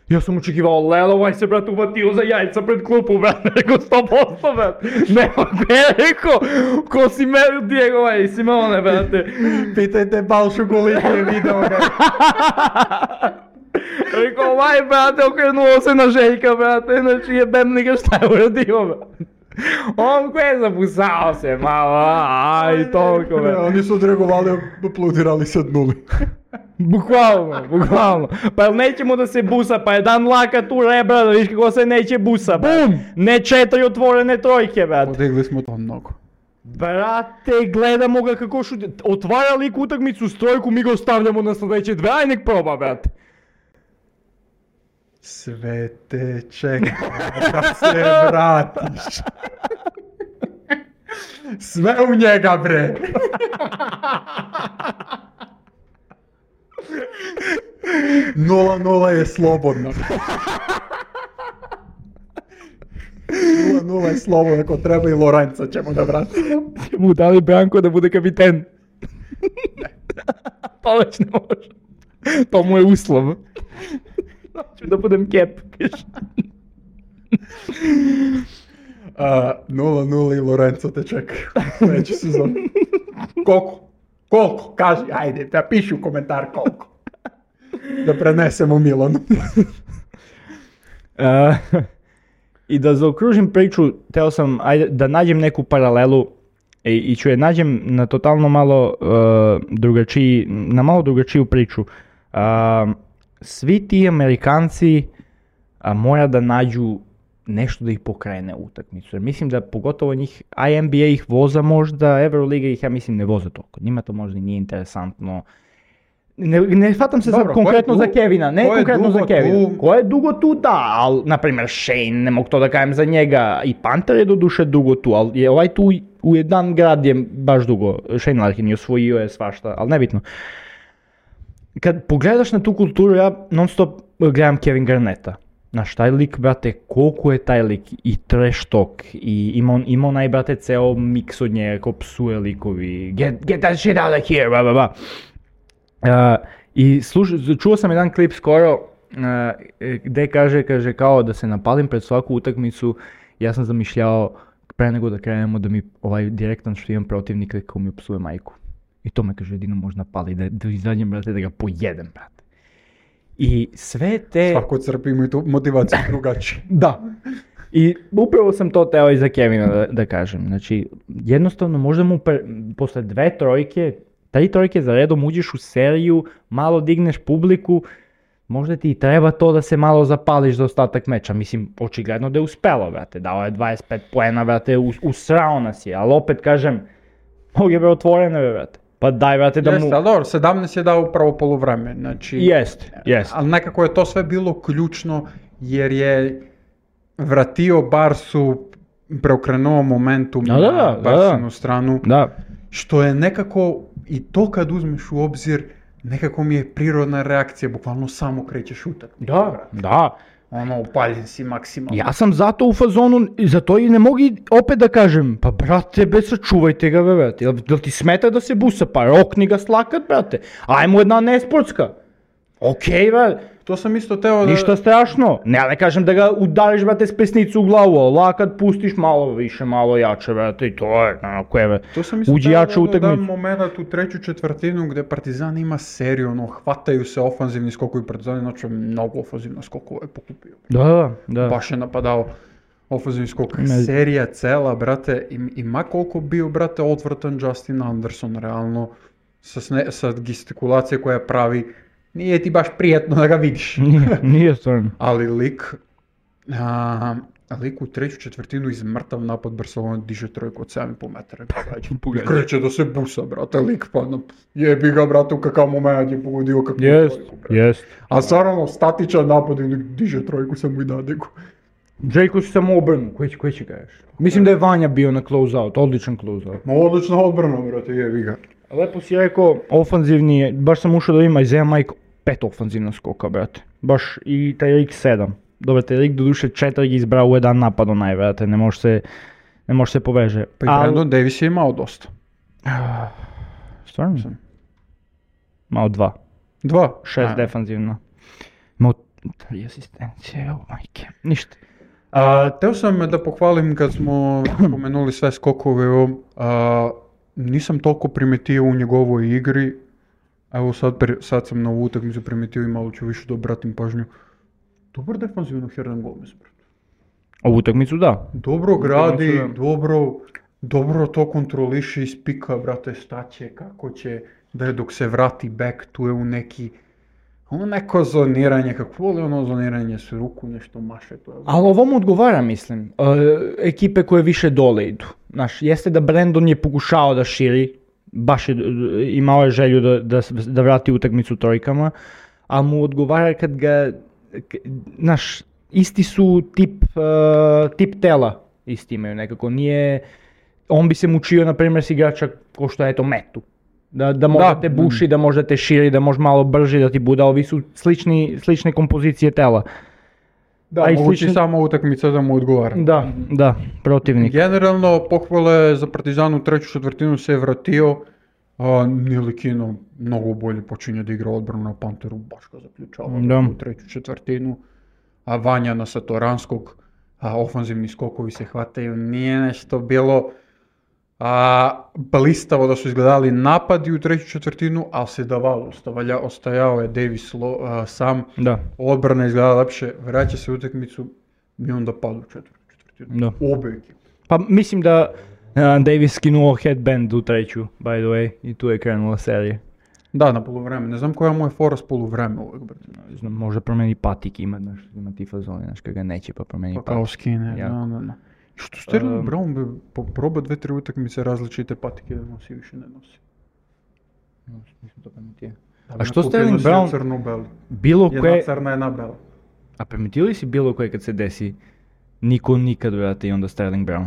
ja sam očekivao, Lelo, ovaj se, brat, uvatio za jajca pred klupu, brat, rekao sto posto, brat, ne, ne, rekao, ko si me, Diego, ovaj, Simone, brate. Pitajte Balšu Gulitije video ga. Rekao, ovaj, brate, okrenuo se na Željka, brate, znači jebem li ga šta je uradio, brate. On ko je zabusao se malo, aj, toliko, Ne, brate. oni su odreagovali, aplodirali se nuli. Bukvalno, bukvalno. Pa jel nećemo da se busa, pa jedan lakat u rebra, da viš kako se neće busa, brate. Ne četiri otvorene trojke, brate. Podigli smo to mnogo. Brate, gledamo ga kako šuti. Otvara lik utakmicu s trojku, mi ga ostavljamo na sljedeće dve, aj nek proba, brate. Sve te čeka da se vratiš. Sve u njega, bre. Nula nula je slobodno. Nula nula je slobodno, ako treba i Lorenza ćemo da vratimo. Mu dali Branko da bude kapiten. To već ne može. To mu je uslov. Hoću da budem kep. nula nula i Lorenzo te čekaju. Sljedeći sezon. Koliko? Koliko? Kaži, ajde, da piši u komentar koliko. Da prenesemo Milanu. Uh, I da zaokružim priču, teo sam ajde, da nađem neku paralelu i, i ću je nađem na totalno malo uh, drugačiji, na malo drugačiju priču. Uh, svi ti Amerikanci uh, mora da nađu nešto da ih pokrene u utakmicu. Jer mislim da pogotovo njih, a N B A ih voza možda, Euroliga ih ja mislim ne voza toliko. Njima to možda i nije interesantno. Ne, ne shvatam se Dobro, sad konkretno ko je za du- Kevina, ne ko je konkretno za dugo Kevina. tu? Ko je dugo tu, da, ali, na primjer, Shane, ne mogu to da kažem za njega, i Panter je do duše dugo tu, ali je ovaj tu u jedan grad je baš dugo, Shane Larkin je osvojio je svašta, ali nebitno. Kad pogledaš na tu kulturu, ja non stop gledam Kevin Garnetta. Znaš, taj lik, brate, koliko je taj lik i trash talk, i ima, ima onaj, brate, ceo miks od njega, ko psuje likovi, get, get that shit out of here, bla, bla, bla. Uh, I sluš, čuo sam jedan klip skoro uh, gdje kaže, kaže kao da se napalim pred svaku utakmicu, ja sam zamišljao pre nego da krenemo da mi ovaj direktan što imam protivnik ko mi psuje majku. I to me kaže jedino možda pali, da, da izađem, brate, da ga pojedem, brate. I sve te... Svako crpi imaju tu motivaciju drugačije. Da. I upravo sam to teo i za Kevina da, da kažem. Znači, jednostavno možda mu pre, posle dve trojke, tri trojke za redom uđeš u seriju, malo digneš publiku, možda ti i treba to da se malo zapališ za ostatak meča. Mislim, očigledno da je uspelo, brate. Dao je dvadeset pet poena, brate, us, usrao nas je. Ali opet kažem, mogu je otvoreno, brate. Pa daj, brate, da mu... Jeste, ali dobro, sedamnaest je dao upravo poluvreme, znači... Jest, jest. Ali nekako je to sve bilo ključno, jer je vratio Barsu, preokrenuo momentum Da, da, na da, Barsinu da. stranu, Da. što je nekako, i to kad uzmeš u obzir, nekako mi je prirodna reakcija, bukvalno samo krećeš utakmicu. Da, da. Ono, upaljen si maksimalno. Ja sam zato u fazonu, zato i ne mogu i opet da kažem, pa brate, be, sačuvajte ga, be, brate, jel, jel ti smeta da se busa, pa rokni ga slakat, brate, ajmo jedna nesportska, okej, brate, To sam isto teo da... ništa strašno, ne, ne kažem da ga udariš, brate, s pesnicu u glavu, ali lakat pustiš malo više, malo jače, brate, i to je, onako je, To sam isto uđi teo jače u da dodam utakmicu. moment u treću četvrtinu gdje Partizan ima seriju, ono, hvataju se ofanzivni skokovi, Partizan znači mnogo ofanzivno skokova je pokupio. Da, da, da. Baš je napadao ofanzivni skok. Ne. Serija cela, brate, i, i ma koliko bio, brate, odvratan Justin Anderson, realno, sa, sne, sa gestikulacije koja pravi, nije ti baš prijetno da ga vidiš. Nije, nije stvarno. Ali lik, a, lik u treću četvrtinu iz mrtav napad Barcelona diže trojku od sedam i pol metara. I kreće da se busa, brate, lik pa na, jebi ga, brate, u kakav moment je pogodio kakvu Jest, trojku, brate. jest. A stvarno, statičan napad i lik diže trojku, samo i dade go. Jayko si samo obrnu, koji, koji će kažeš? Mislim da je Vanja bio na close-out, odličan close-out. Ma odlična odbrana, brate, jebi ga. Lepo si rekao, ofanzivni je, baš sam ušao da ima Isaiah Mike pet ofanzivna skoka, brate. Baš i Tyreek sedam. Dobro, Tyreek doduše četiri izbrao u jedan napad onaj, brate, ne može se, ne može se poveže. Pa i Brandon Davis je imao dosta. Stvarno? Malo dva. Dva? Šest defanzivno. Imao tri asistencije, oh majke. Ništa. A, teo sam da pohvalim kad smo spomenuli sve skokove, a, nisam toliko primetio u njegovoj igri, evo sad, sad sam na ovu utakmicu primetio i malo ću više da obratim pažnju. Dobar defanzivno Hernan Gomez, brate. Ovu utakmicu da. Dobro gradi, dobro, dobro to kontroliši iz pika, brate, staće, kako će, da je dok se vrati back, tu je u neki, ono neko zoniranje, kako voli ono zoniranje s ruku, nešto maše to. Ali ovo mu odgovara, mislim, uh, ekipe koje više dole idu. Znaš, jeste da Brandon je pokušao da širi, baš je, imao je želju da, da, da vrati utakmicu trojkama, ali mu odgovara kad ga, znaš, isti su tip, uh, tip tela, isti imaju nekako, nije, on bi se mučio, na primjer, s igrača ko što je eto Metu. Da, da možda da, te buši, da možda te širi, da može malo brži da ti bude, ovi su slični, slične kompozicije tela. Da, a mogući slični... samo utakmica da mu odgovara. Da, da, protivnik. Generalno, pohvale za Partizan u treću četvrtinu se je vratio, a Nilikino mnogo bolje počinje da igra odbranu na Panteru, baš ga zaključava da. U treću četvrtinu. A Vanja na Satoranskog, a ofanzivni skokovi se hvataju, nije nešto bilo a, blistavo da su izgledali napadi u treću četvrtinu, ali se davalo, ostavlja, ostajao je Davis lo, a, sam, da. Odbrana izgledala lepše, vraća se u utakmicu i onda padu u četvrtu četvrtinu. Da. Obe ekipe. Pa mislim da uh, Davis skinuo headband u treću, by the way, i tu je krenula serija. Da, na poluvreme. Ne znam koja mu je fora s poluvreme uvijek, brate. Ne znam, možda promeni patik, ima, znaš, ima ti fazoni, znaš, kada ga neće pa promeni pa patik. Pa kao skine, da, da, da. Što Sterling um, Brown bi proba dve, tri utakmice različite patike da nosi, više ne nosi. Nisam to pametio. A što Sterling Brown, crno-beli. Bilo koje... Jedna crna, jedna bela. A primetio li si bilo koje kad se desi niko nikad, vrate, i onda Sterling Brown?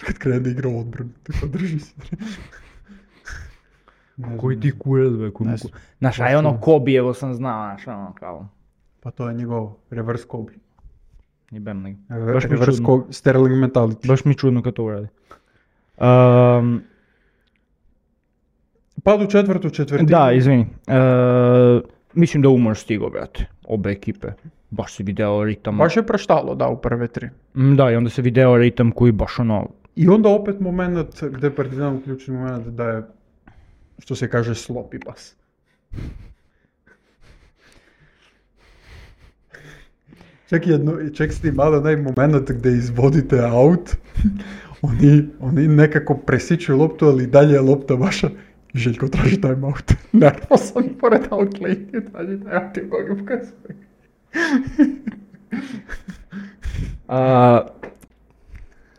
Kad krene da igra odbranu, tako drži se. Koji ti kurac, be, koji mu... Znaš, aj ono Kobe, evo sam znao, znaš, ono kao... Pa to je njegov reverse Kobe. Jebem li. Baš mi reverse Kobe, Sterling mentality. Baš mi čudno kad to uradi. Um, Pad u četvrtu četvrtinu. Da, izvini. Uh, mislim da umor stigo, brate. Obe ekipe. Baš se video ritam. Baš je praštalo, da, u prve tri. Da, i onda se video ritam koji baš ono... I onda opet moment gdje Partizan uključio moment da je, što se kaže, sloppy pas. Čak, jedno, čak ste imali onaj moment gdje izvodite out, oni, oni nekako presiču loptu, ali dalje je lopta vaša i Željko traži time out. Nervosan pored out linije, traži time out i Boga pokazuje.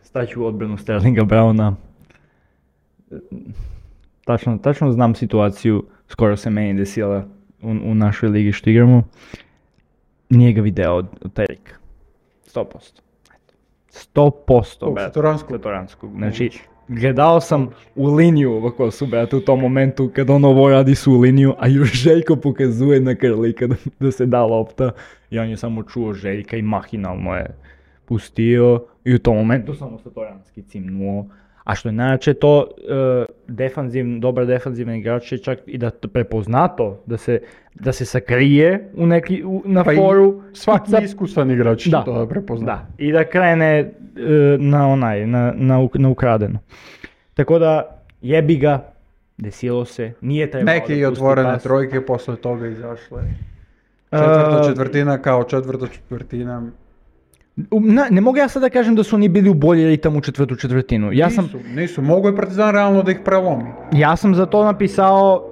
Staću u odbranu Sterlinga Browna. Tačno, tačno znam situaciju, skoro se meni desila u, u našoj ligi što igramo. Nije ga video od, od Terika. sto posto. sto posto, brate. Satoranskog. Satoranskog. Znači, gledao sam u liniju ovako su, brate, u tom momentu kad on ovo radi su u liniju, a još Željko pokazuje na Krlika da, da se da lopta. I on je samo čuo Željka i mahinalno je pustio. I u tom momentu samo Satoranski cimnuo. A što je najjače to, uh, defanziv, dobar defanzivni igrač je čak i da prepozna to, da se, da se sakrije u neki, u, na pa foru. Svaki da, iskusan igrač da, to prepozna. Da, i da krene uh, na onaj, na, na, na ukradeno. Tako da, jebi ga, desilo se, nije trebalo neke i otvorene pas. Trojke posle toga izašle. Četvrta četvrtina kao četvrta četvrtina. Ne, ne mogu ja sad da kažem da su oni bili u bolji ritam u četvrtu četvrtinu. Ja sam, Nisu, nisu, mogu je Partizan realno da ih prelomi. ja sam za to napisao...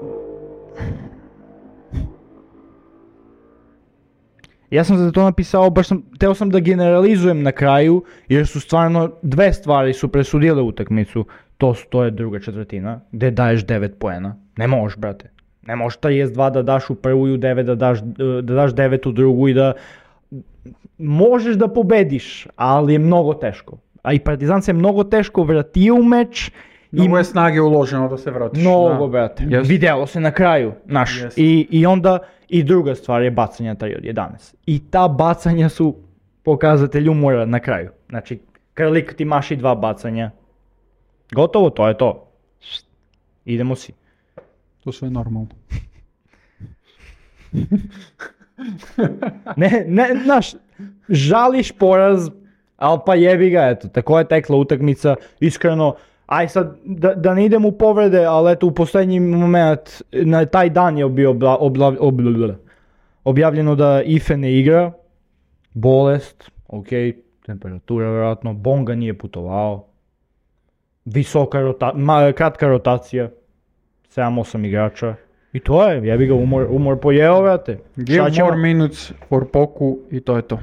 Ja sam za to napisao, baš sam, teo sam da generalizujem na kraju, jer su stvarno dve stvari su presudile utakmicu. To, su, to je druga četvrtina, gdje daješ devet poena. Ne možeš, brate. Ne možeš trideset dva da daš u prvu i u devet da daš, da daš devet u drugu i da... Možeš da pobediš, ali je mnogo teško. A i Partizan se je mnogo teško vratio u meč. Mnogo je snage uloženo da se vratiš. Mnogo, Da. brate. Yes. Vidjelo se na kraju, znaš. Yes. I, I onda, i druga stvar je bacanja tri od jedanaest. I ta bacanja su pokazatelj umora na kraju. Znači, Krlik ti maši dva bacanja. Gotovo, to je to. Idemo si. To sve je normalno. Ne, ne, znaš, žališ poraz, ali pa jebi ga, eto, tako je tekla utakmica, iskreno, aj sad, da, da ne idem u povrede, ali eto, u posljednji moment, na taj dan je bio obla, obla, obla, objavljeno da Ife ne igra, bolest, ok, temperatura vjerojatno, Bonga nije putovao, visoka rota, ma, kratka rotacija, sedam osam igrača. I to je, jebi ga, umor, umor pojeo, vrate. Give more minutes for Poku i to je to.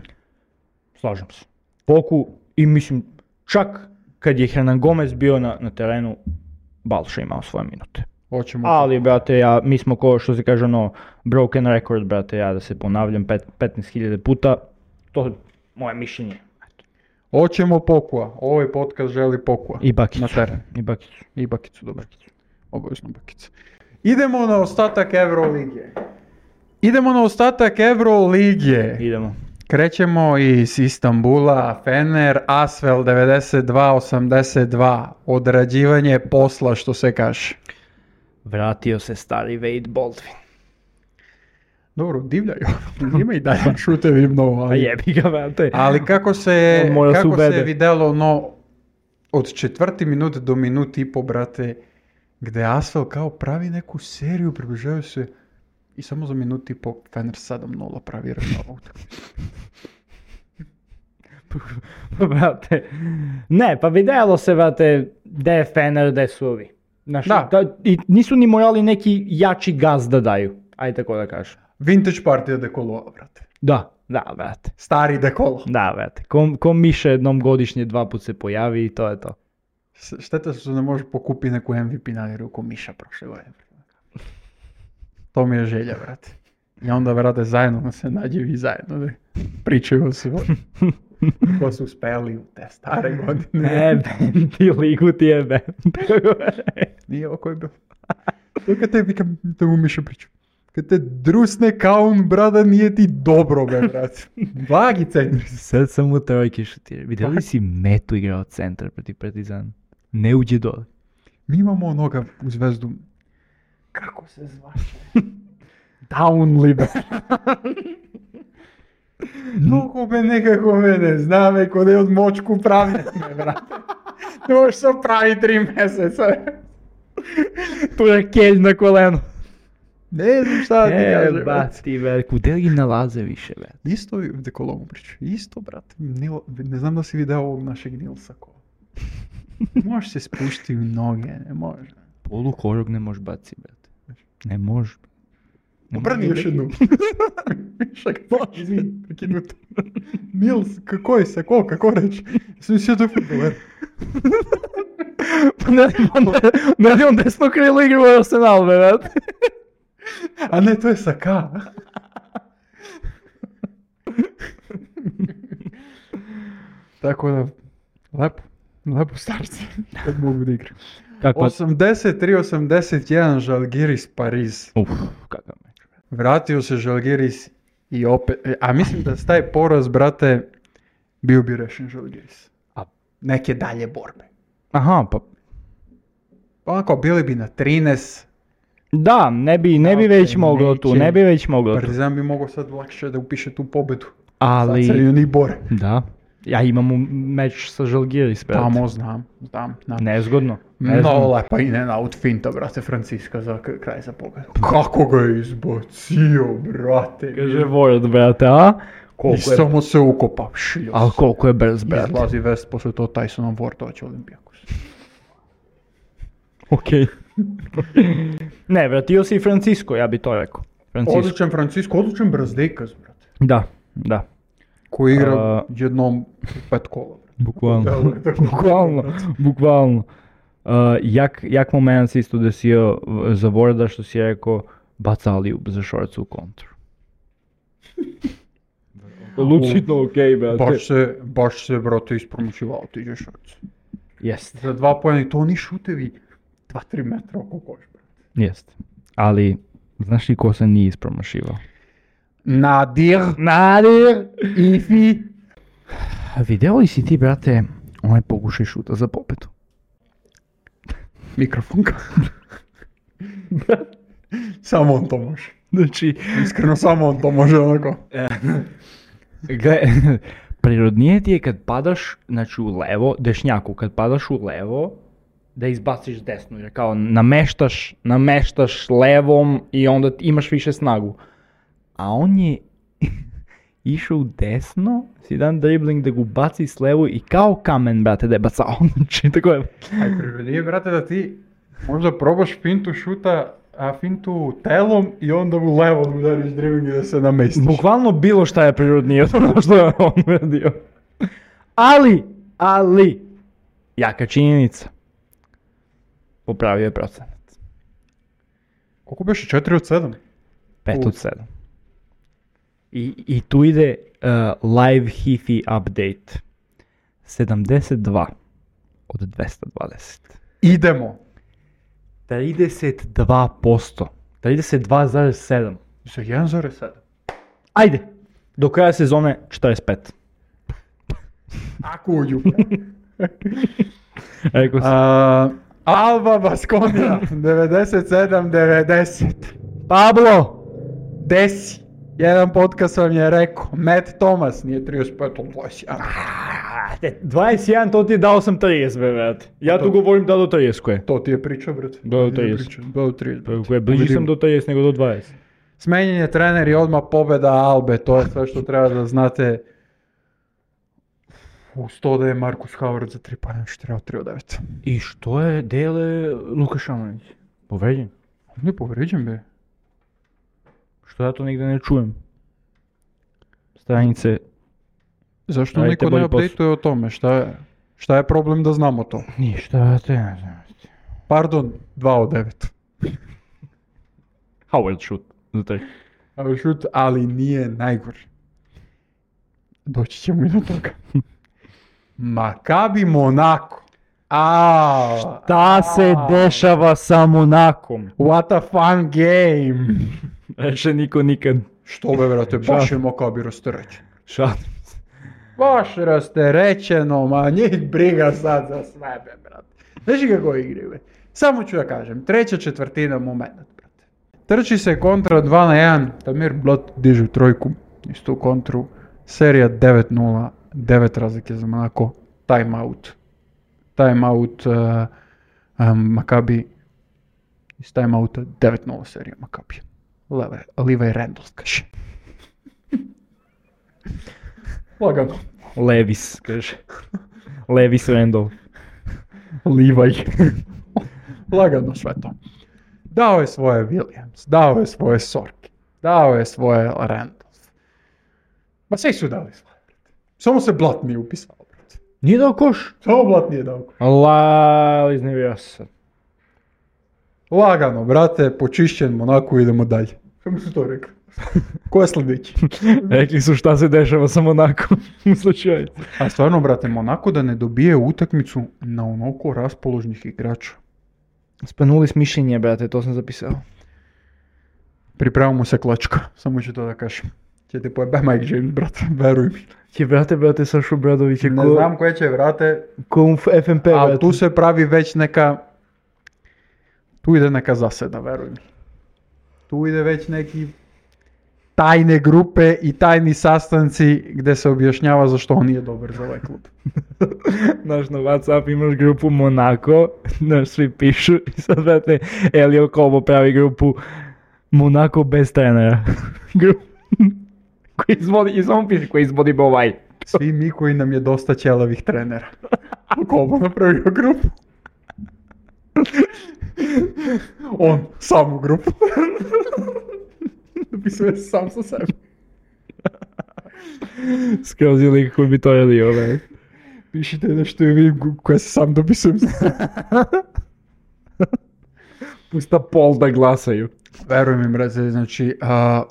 Slažem se. Poku i mislim, čak kad je Hernan Gomez bio na, na terenu, Balša imao svoje minute. Hoćemo. Ali, brate, ja, mi smo ko što se kaže ono, broken record, brate, ja da se ponavljam pet, petnaest hiljada puta, to je moje mišljenje. Hoćemo Pokua. Ovaj podcast želi Pokua. I Bakicu. Na teren. I Bakicu. I Bakicu, dobro. Obavezno Bakicu. Idemo na ostatak Euroligije. Idemo na ostatak Euroligije. Idemo. Krećemo iz Istambula, Fener, Asvel devedeset dva osamdeset dva. Odrađivanje posla, što se kaže. Vratio se stari Wade Baldwin. Dobro, divljaju. Ima i dalje šutevi mnogo. A Ali, jebi ga, brate. ali kako se, On mora se kako se ubede. videlo, no, od četvrti minut do minut i po, brate, gde Asvel kao pravi neku seriju, približavaju se i samo za minut i po Fener sedam nula pravi rezultat. Brate, ne, pa vidjelo se, brate, gde je Fener, gde su ovi. Znaš, Da. da, i nisu ni morali neki jači gaz da daju, ajde tako da kažem. Vintage partija Dekolo, brate. Da, da, brate. Stari Dekolo. Da, brate. Ko, ko Miša jednom godišnje dva put se pojavi i to je to. S- Šteta što ne može pokupi neku M V P nagradu ko Miša prošle godine. To mi je želja, brate. I onda, brate, zajedno da se nađe i zajedno da pričaju o svoj. Ko su uspeli u te stare godine. Ne, Ben, ti ligu ti je Ben. Nije ovo koji je bio. To kad te, vikam, te mu Miša priča. Kad te drusne kaun, brada, nije ti dobro, be, brate. Blagi centri. Sad sam u trojke šutirao. Vidjeli si Metu igrao centar protiv Partizana? Ne uđe dole. Mi imamo onoga u Zvezdu. Kako se zvaše? Down liber. Mnogo me nekako mene zna me kod je od močku pravi me, brate. Ne možeš se pravi tri mjeseca. Tu je kelj na kolenu. Ne znam šta ti E, kažem, brate. bati, ver, kude li nalaze više, ver? Isto je Dekolomu priču. Isto, brate. Nil, ne znam da si video ovog našeg Nilsa ko. Ne možeš se spušti u noge, ne može. Polu korog ne možeš baci, brate. Ne možeš. Ne Obrni može još da- jednu. Šak, izvini, prekinuto. Nils, kako je se, ko, kako reći? Sam mislio da je futboler. Pa ne, on, ne, ne, on desno krilo igra u Arsenal, brate. A ne, to je sa K. Tako da, lepo, lepo starci, kad mogu da igram. Kako? osamdeset tri osamdeset jedan Žalgiris Pariz. Uf, kakav meč. Vratio se Žalgiris i opet, a mislim da s taj poraz, brate, bio bi rešen Žalgiris. A- Neke dalje borbe. Aha, pa Onako, bili bi na trinaest, da, ne bi, ne bi Ok, već moglo tu, neće. ne bi već moglo tu. Partizan bi mogao sad lakše da upiše tu pobedu. Ali, Sad se ni bore. da, ja imam u- meč sa Žalgiris, brate. Tamo znam, znam, znam. Nezgodno. No, nezgodno. lepa i ne out finta, brate, Franciska za k- kraj za pobedu. Kako ga je izbacio, brate. Kaže Ward, brate, a? Колко I je, samo se ukopa. Šljos. ali koliko je brz, brate. Izlazi vest posle to Tysonom Vortovac Olimpijakos. Okej. Ne, vratio si i Francisco, ja bi to rekao. Francisco. Odličan Francisco, odličan Brazdejkas, brate. Da, da. Koji igra A- jednom u pet kola. Bukvalno. Deluje tako. Bukvalno, bukvalno. Uh, jak, jak moment se isto desio uh, za Vorda što si rekao baca Aliju za šorcu u kontru. Lucidno okej, brate. Baš se, baš se, brate, ispromašivao ti Žešovac. Jest, Za dva pojena i to oni šutevi dva tri metra oko koš, brate. jest. Ali, znaš li ko se nije ispromašivao? Nadir, Nadir! Ifi. Video li si ti, brate, onaj pokušaj šuta za popetu? Mikrofonka. Samo on to može. Znači, Iskreno, samo on to može onako. gle, prirodnije ti je kad padaš, znači u levo, dešnjaku, kad padaš u levo, da izbaciš desno, jer kao nameštaš, nameštaš levom i onda ti imaš više snagu. A on je išao u desno, si dan dribling da ga baci s levo i kao kamen, brate, da je bacao. Znači, tako je. Aj, prirodnije, brate, da ti možda probaš fintu šuta, a fintu telom i onda u levo udariš dribling i da se namestiš. Bukvalno bilo šta je prirodnije od ono što je on uradio. Ali, ali, jaka činjenica. Popravio je procenat. Koliko beše? četiri od sedam? pet U. od sedam. I, i tu ide uh, live hifi update. sedamdeset dva od dvesta dvadeset. Idemo. trideset dva posto. trideset dva zarez sedam. Za jedan zarez sedam. Ajde, do kraja sezone četrdeset pet. Ako uđu. Rekao sam. A, Alba Baskonia, devedeset sedam devedeset. Pablo! Desi. Jedan podcast vam je rekao, Matt Thomas nije trideset pet od dvadeset jedan. dvadeset jedan, to ti je dao sam trideset, brate. Ja tu govorim da do trideset koje. To ti je priča, brate. Do To ti je trideset. priča. Do trideset. brate. Koje bliži sam do trideset nego do dvadeset. Smenjen je trener i odmah pobjeda Albe, to je sve što treba da znate. U sto da je Markus Howard za tri pojena, što treba tri od devet. I što je dele Luka Šamanić? Povređen? On je povređen, be. Što ja to nigde ne čujem? Stranice, Zašto Radite niko ne bolji posao. updateuje o tome? Šta je, šta je problem da znamo to? ništa, ja te ne znam. Pardon, dva od devet. Howard shoot za tri. Ali šut, ali nije najgori. Doći ćemo i do toga. Maccabi Monaco. A, Šta se dešava sa Monakom? What a fun game. Reče niko nikad. Što be, brate, baš je Maccabi rasterećen. Šalim se. Baš rasterećeno, ma njih briga sad za sve, be, brate. Znaš i kako igri, be? Samo ću da kažem, treća četvrtina moment, brate. Trči se kontra dva na jedan, Tamir Blat diže trojku, isto u kontru. Serija devet nula, devet razlike za Monaco, timeout. Timeout uh, um, Maccabi, iz timeouta devet nula serija Maccabi. Leve, Levi Randall, kaže. Lagano. Levis, kaže. Levis Randall. Levi. Lagano sve to. Dao je svoje Williams, dao je svoje Sorki, dao je svoje Randolph. Ma svi su dali svoje, brate. Samo se Blat nije upisao, brate. Nije dao koš? Samo Blat nije dao. Allah, iznevio sam. Lagano, brate, počišćen Monaco, idemo dalje. Kako su to rekli? Ko je sljedeći? Rekli su šta se dešava sa Monakom u slučaju. A stvarno, brate, Monaco da ne dobije utakmicu na onoliko raspoložnih igrača. Spanuli s mišljenje, brate, to sam zapisao. Pripremamo se klačka, samo ću to da kažem. Će te pojebe Mike James, brate, veruj mi. Će, brate, brate, Sašu Bradovića Ne ko, znam koje će, brate, ko u F M P, ali brate. tu se pravi već neka, tu ide neka zaseda, veruj mi. Tu ide već neki tajne grupe i tajni sastanci gdje se objašnjava zašto on nije dobar za ovaj klub. Znaš, na WhatsApp imaš grupu Monaco, znaš, svi pišu i sad, brate, Elio Kobo pravi grupu Monaco bez trenera. Grup- koji izvodi, i samo piše koji izvodi ovaj. Svi mi koji nam je dosta ćelavih trenera. Kobo napravio grupu. On, sam u grupu. Dopisuje sam sa sebi. Skroz je lik koji bi to jelio, ovaj. Pišite nešto i vidim koje se sam dopisujem sa sebi. Pusta pol da glasaju. Verujem mi, brate, znači, a,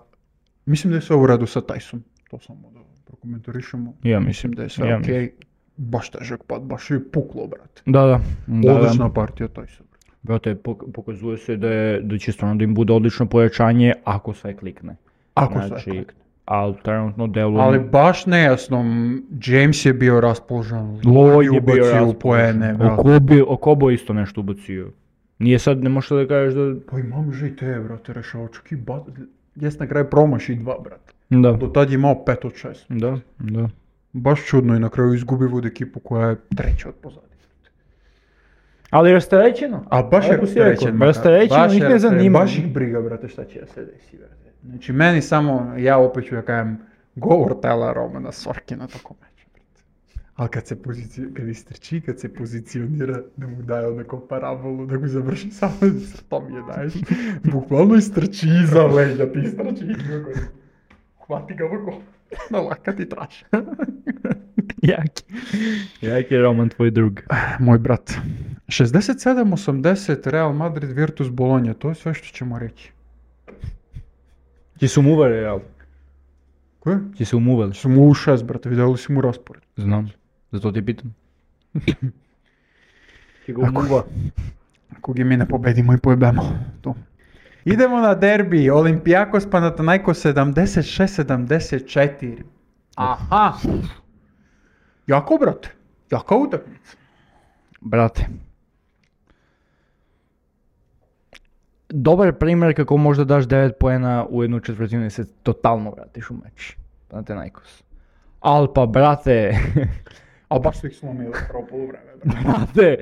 mislim da je sve u redu sa Tyson. To samo da prokomentarišemo. Ja mislim, Mislim da je sve ja okej. mislim. Baš težak pad, baš je puklo, brate. Da, da. da Odlična da. partija Tyson. Brate, pok- pokazuje se da, je, da će stvarno da im bude odlično pojačanje ako sve klikne. Ako Znači, sve. ali trenutno deluje... Ali baš nejasno, m, James je bio raspoložen, Lloyd je bio ubacio u raspoložen. poene, brate. Okobo, Okobo isto nešto ubacio. Nije sad, ne možeš da kažeš da... Pa imam že i te, brate, rešavačak i bat... Jes na kraju promaši dva, brate. Da, Do tad je imao pet od šest. da, da. Baš čudno i na kraju izgubi od ekipu koja je treća od pozadnje. Ali rasterećeno. A baš je Lepo si rekao, rasterećen. rasterećeno, baš je njih ne rasterećen, zanima. Baš ih briga, brate, šta će da se desi, brate. Znači, meni samo, ja opet ću da kajem, govor tela Romana Sorkina tokom meča, brate. Ali kad se pozici, kad istrči, kad se pozicionira, da mu daje onako parabolu, da ga završi samo to mi je daješ. Bukvalno istrči iza leđa, ti istrči i kako je. Hvati ga ovako, na lakat i traš. Jaki. Jaki je Roman tvoj drug. Moj brat. šezdeset sedam osamdeset Real Madrid Virtus Bologna, to je sve što ćemo reći. Ti su mu uveli, jel? Koje? Ti su mu uveli. Su mu u šest, brate, vidjeli si mu raspored. Znam, zato ti pitam. Ti ga Ako- umuva. Ako gi mi ne pobedimo i pojebemo. Tu. Idemo na derbi, Olympiakos Panathinaikos sedamdeset šest sedamdeset četiri. Aha! Jako, brate. Jaka utakmica. Brate. Dobar primjer kako možda daš devet poena u jednu četvrtinu i se totalno vratiš u meč. Panathinaikos. Al pa brate, A baš su ih slomili prvo poluvreme, brate. brate,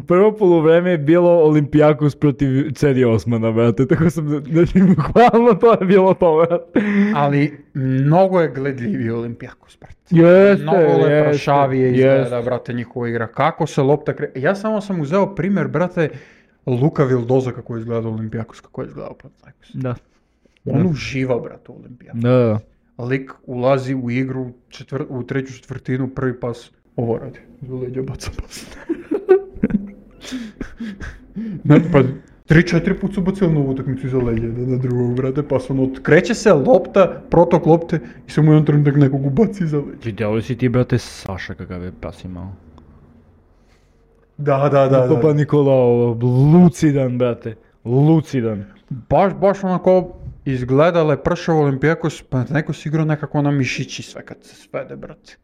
prvo poluvreme je bilo Olympiakos protiv Cedi Osmana, brate, tako sam, znači, bukvalno to je bilo to, brate. Ali mnogo je gledljiviji Olympiakos, brate. Jeste, Mnogo jeste, leprašavije izgleda, jeste. brate, njihova igra. Kako se lopta kre... Ja samo sam uzeo primjer, brate, Luka Vildoza kako je izgledao Olympiakos, kako je izgledao Panathinaikos. Da. On uživa, brate, u Olympiakos. Da, da. Lik ulazi u igru četvr... u treću četvrtinu, prvi pas, ovo radi. Za leđa baca pas. Ne, pa tri četiri put su bacili na utakmicu iza leđa, da na drugog, brate, pas ono, kreće se lopta, protok lopte i samo jedan trenutak nekog ubaci iza leđa. Vidjeli si ti, brate, Saša kakav je pas imao. Da, da, da, Papa da. Nikolao, lucidan, brate, lucidan. Baš, baš onako izgledale pršavo Olympiakos, pa neko si igrao nekako na mišići sve kad se svede, brate.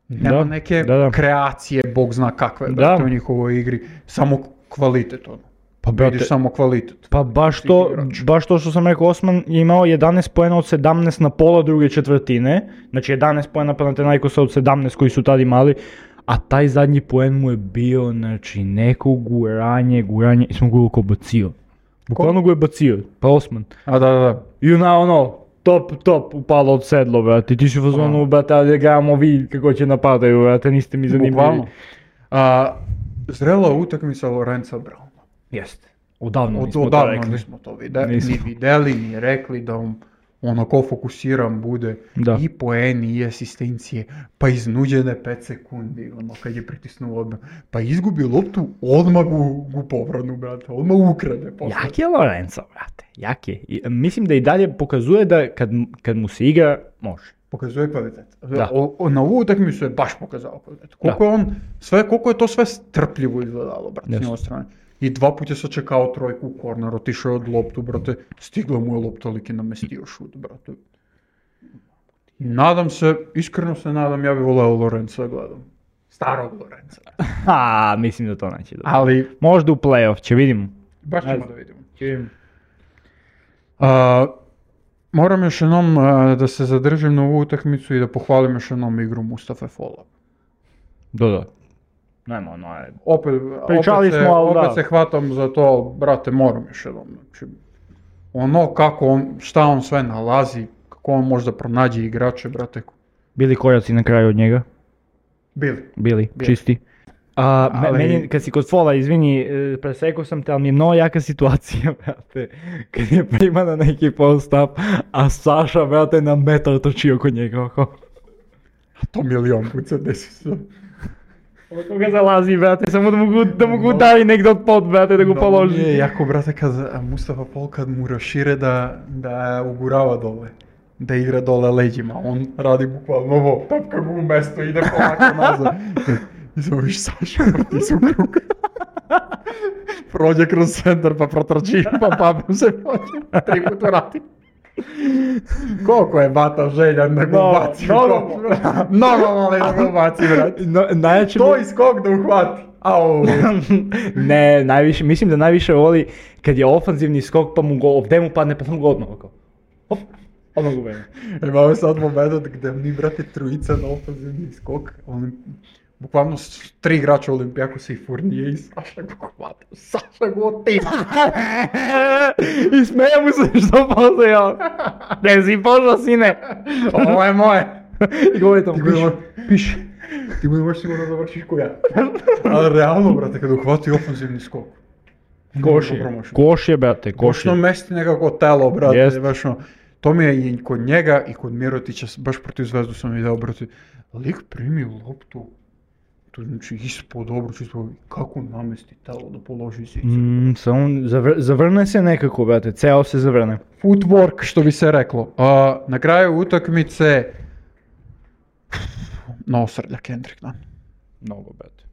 Nema Da, neke da, da. kreacije, bog zna kakve, Da. brate, u njihovoj igri. Samo kvalitet, ono. Pa, brate, Vidiš samo kvalitet. pa baš svih to, igrača. baš to što sam rekao, Osman je imao jedanaest poena od sedamnaest na pola druge četvrtine, znači jedanaest poena Panathinaikosa od sedamnaest koji su tad imali, a taj zadnji poen mu je bio, znači, neko guranje, guranje, i smo ga uvijek bacio. Bukvalno ga je bacio, pa Osman. A da, da, da. I ona ono, top, top, upalo od sedlo, brate, ti si u fazonu, brate, ali gledamo vi kako će napadaju, brate, niste mi zanimljivi. Bukvalno. A, zrela utakmica Lorenza Brauna. Jeste, odavno Od, nismo to odavno rekli. nismo to vide, Nismo. ni videli, ni rekli da on onako fokusiran bude. Da. I poeni, i asistencije, pa iznuđene pet sekundi, ono, kad je pritisnuo odmah. Pa izgubi loptu, odmah u, u povranu, brate, odmah ukrade. posle. Jak je Lorenzo, brate, jak je. I, mislim da i dalje pokazuje da kad, kad mu se igra, može. Pokazuje kvalitet. Da. O, o, na ovu utakmicu je baš pokazao kvalitet. Koliko je on, sve, koliko je to sve strpljivo izgledalo, brate, s Jeste. njegove strane. I dva puta je sačekao trojku u korner, otišao je od loptu, brate, stigla mu je lopta, lik je namestio šut, brate. Nadam se, iskreno se nadam, ja bih voleo Lorenza da gledam. Starog Lorenza. Ha, mislim da to neće dobro. Ali, Možda u play-off, će vidimo. baš Ne ćemo znam. da vidimo. Će vidimo. A, moram još jednom a, da se zadržim na ovu utakmicu i da pohvalim još jednom igru Mustafa Fola. Da, da. Nema, ono je... Opet, Pričali opet, se, smo, ali opet da. se hvatam za to, brate, moram još jednom. Znači, ono kako on, šta on sve nalazi, kako on može da pronađe igrače, brate. Bili koraci na kraju od njega? Bili. Bili, Bili. čisti. A, me- Ali- meni, kad si kod fola, izvini, e, presekao sam te, ali mi je mnogo jaka situacija, brate. Kad je prima na neki post-up, a Saša, brate, na metar trči oko njega, oko. A to milion puta desi se. Od koga zalazi, brate, samo da mu, gu- da mu ga udari negdje od pod, brate, da ga položi. Nije jako, brate, kad a, Mustafa Pol kad mu rašire da, da ugurava dole. Da igra dole leđima. On radi bukvalno ovo, tapka ga u mesto, ide polako nazad. I samo viš Saša, ti su u krug. Prođe kroz centar, pa protrči, pa papom se prođe. Tri puta vrati. Koliko je bata željan da ga No, ubaci? no, Koliko? Mnogo mali da ga ubaci, brate. No, najjače To mi- i skok da uhvati. Au. ne, najviše, mislim da najviše voli kad je ofanzivni skok pa mu go, ovdje mu padne pa samo go odmah oko. Hop, odmah go bene. Imamo sad moment gdje mi, brate, trojica na ofenzivni skok. Olim, bukvalno s- tri igrača Olimpijakosa i Fournije i Saša go hvata. Saša go otima. I smeje mu se što postoji on. Ne si pošao, sine. Ovo je moje. I govori tamo, Ti piši, budemo- piši. Ti budeš baš sigurno završiš ko ja. Ali realno, brate, kada uhvati ofenzivni skok. Koš Dobro je, promašio. koš je, brate, koš Košno je. mesti nekako telo, brate, Jest. baš ono. To mi je i kod njega i kod Mirotića, baš protiv Zvezdu sam video, brate, lik primi loptu, to znači ispod obruča, ispod, kako namesti telo da položi zicer. Mm, samo zavr- zavrne se nekako, brate, ceo se zavrne. Footwork, što bi se reklo. A, na kraju utakmice, nosrlja Kendrick, da. Mnogo, brate.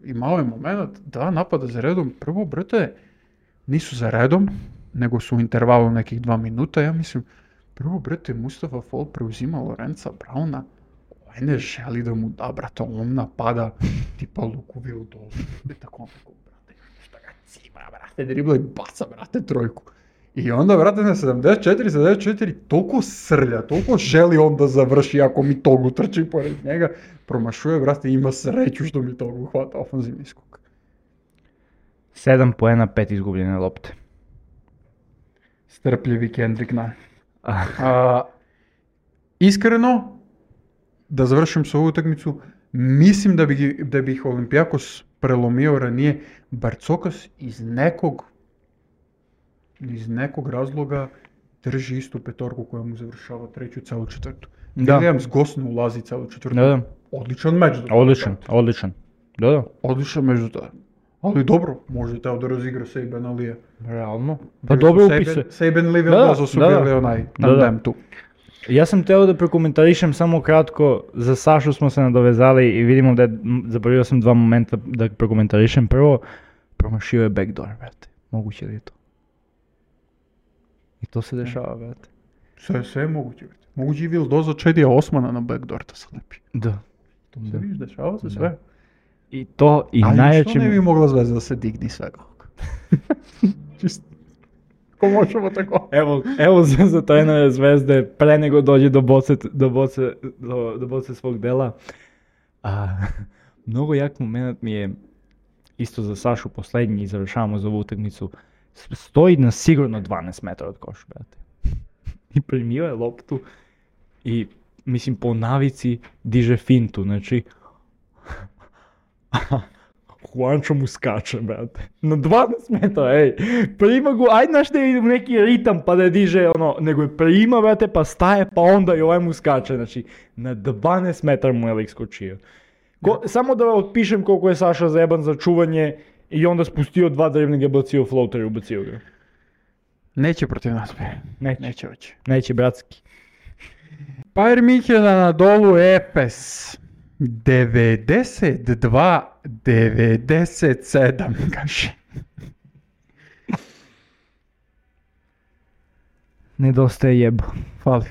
Imao je moment da napada za redom, prvo, brate, nisu za redom, nego su u intervalu nekih dva minuta, ja mislim, prvo, brate, Mustafa Fall preuzima Lorenza Brauna, ovaj ne želi da mu da, brate, on napada tipa Luku Vildozu, i tako onako, brate, šta ga cima, brate, dribla i baca, brate, trojku. I onda, brate, na sedamdeset četiri sedamdeset četiri toliko srlja, toliko želi on da završi ako mi tog utrči pored njega, promašuje, brate, ima sreću što mi tog uhvata ofanzivni skok. Sedam poena, pet izgubljene lopte. Strpljivi Kendrick Nunn. Ah, A, iskreno, da završim s ovu utakmicu, mislim da bi, da bi ih Olimpijakos prelomio ranije, Barcokas iz nekog iz nekog razloga drži istu petorku koja mu završava treću celu četvrtu. Da. Williams gosno ulazi celu četvrtu. Da, da. Odličan meč. do tada. Odličan, odličan. Da, da. Odličan meč do tada. Ali dobro, može teo da razigra Saban Alija. Realno. Pa dobro upisuje. Saban Lee Da, da, Vildozo su da, da. bili onaj Da, da. tandem tu. Ja sam teo da prokomentarišem samo kratko, za Sašu smo se nadovezali i vidimo da je, m, zaboravio sam dva momenta da prokomentarišem. Prvo, promašio je backdoor, brate. Moguće li je to? I to se dešava, brate. Sve, sve je moguće. brate. Moguće i Vildozo Čedija Osmana na backdoor da se lepi. Da. To se Da. vidiš, dešava se Da. sve. I to, i Ali najjače... što ne bi mogla Zvezda da se digni svega ovoga? Čisto. Ko možemo tako? Evo, evo za, za trenera Zvezde, pre nego dođe do boce, do boce, do, do boce svog dela. A, mnogo jak moment mi je, isto za Sašu posljednji, i završavamo za ovu utakmicu, s- stoji na sigurno dvanaest metara od koša, brate. I primio je loptu i, mislim, po navici diže fintu, znači... Juancho mu skače, brate. Na dvanaest metara, ej. Prima go, ajde znaš da je u neki ritam pa da je diže, ono, nego je prima, brate, pa staje, pa onda i ovaj mu skače. Znači, na dvanaest metara mu je lik skočio. Ko, samo da otpišem koliko je Saša zajeban za čuvanje i onda spustio dva driblinga, bacio floater i ubacio ga. Neće protiv nas. bre. Neće, Neće hoće. neće, bratski. Bayern München na dolu Efes. devedeset dva devedeset sedam, kaže. Nedostaje jebo. Fali.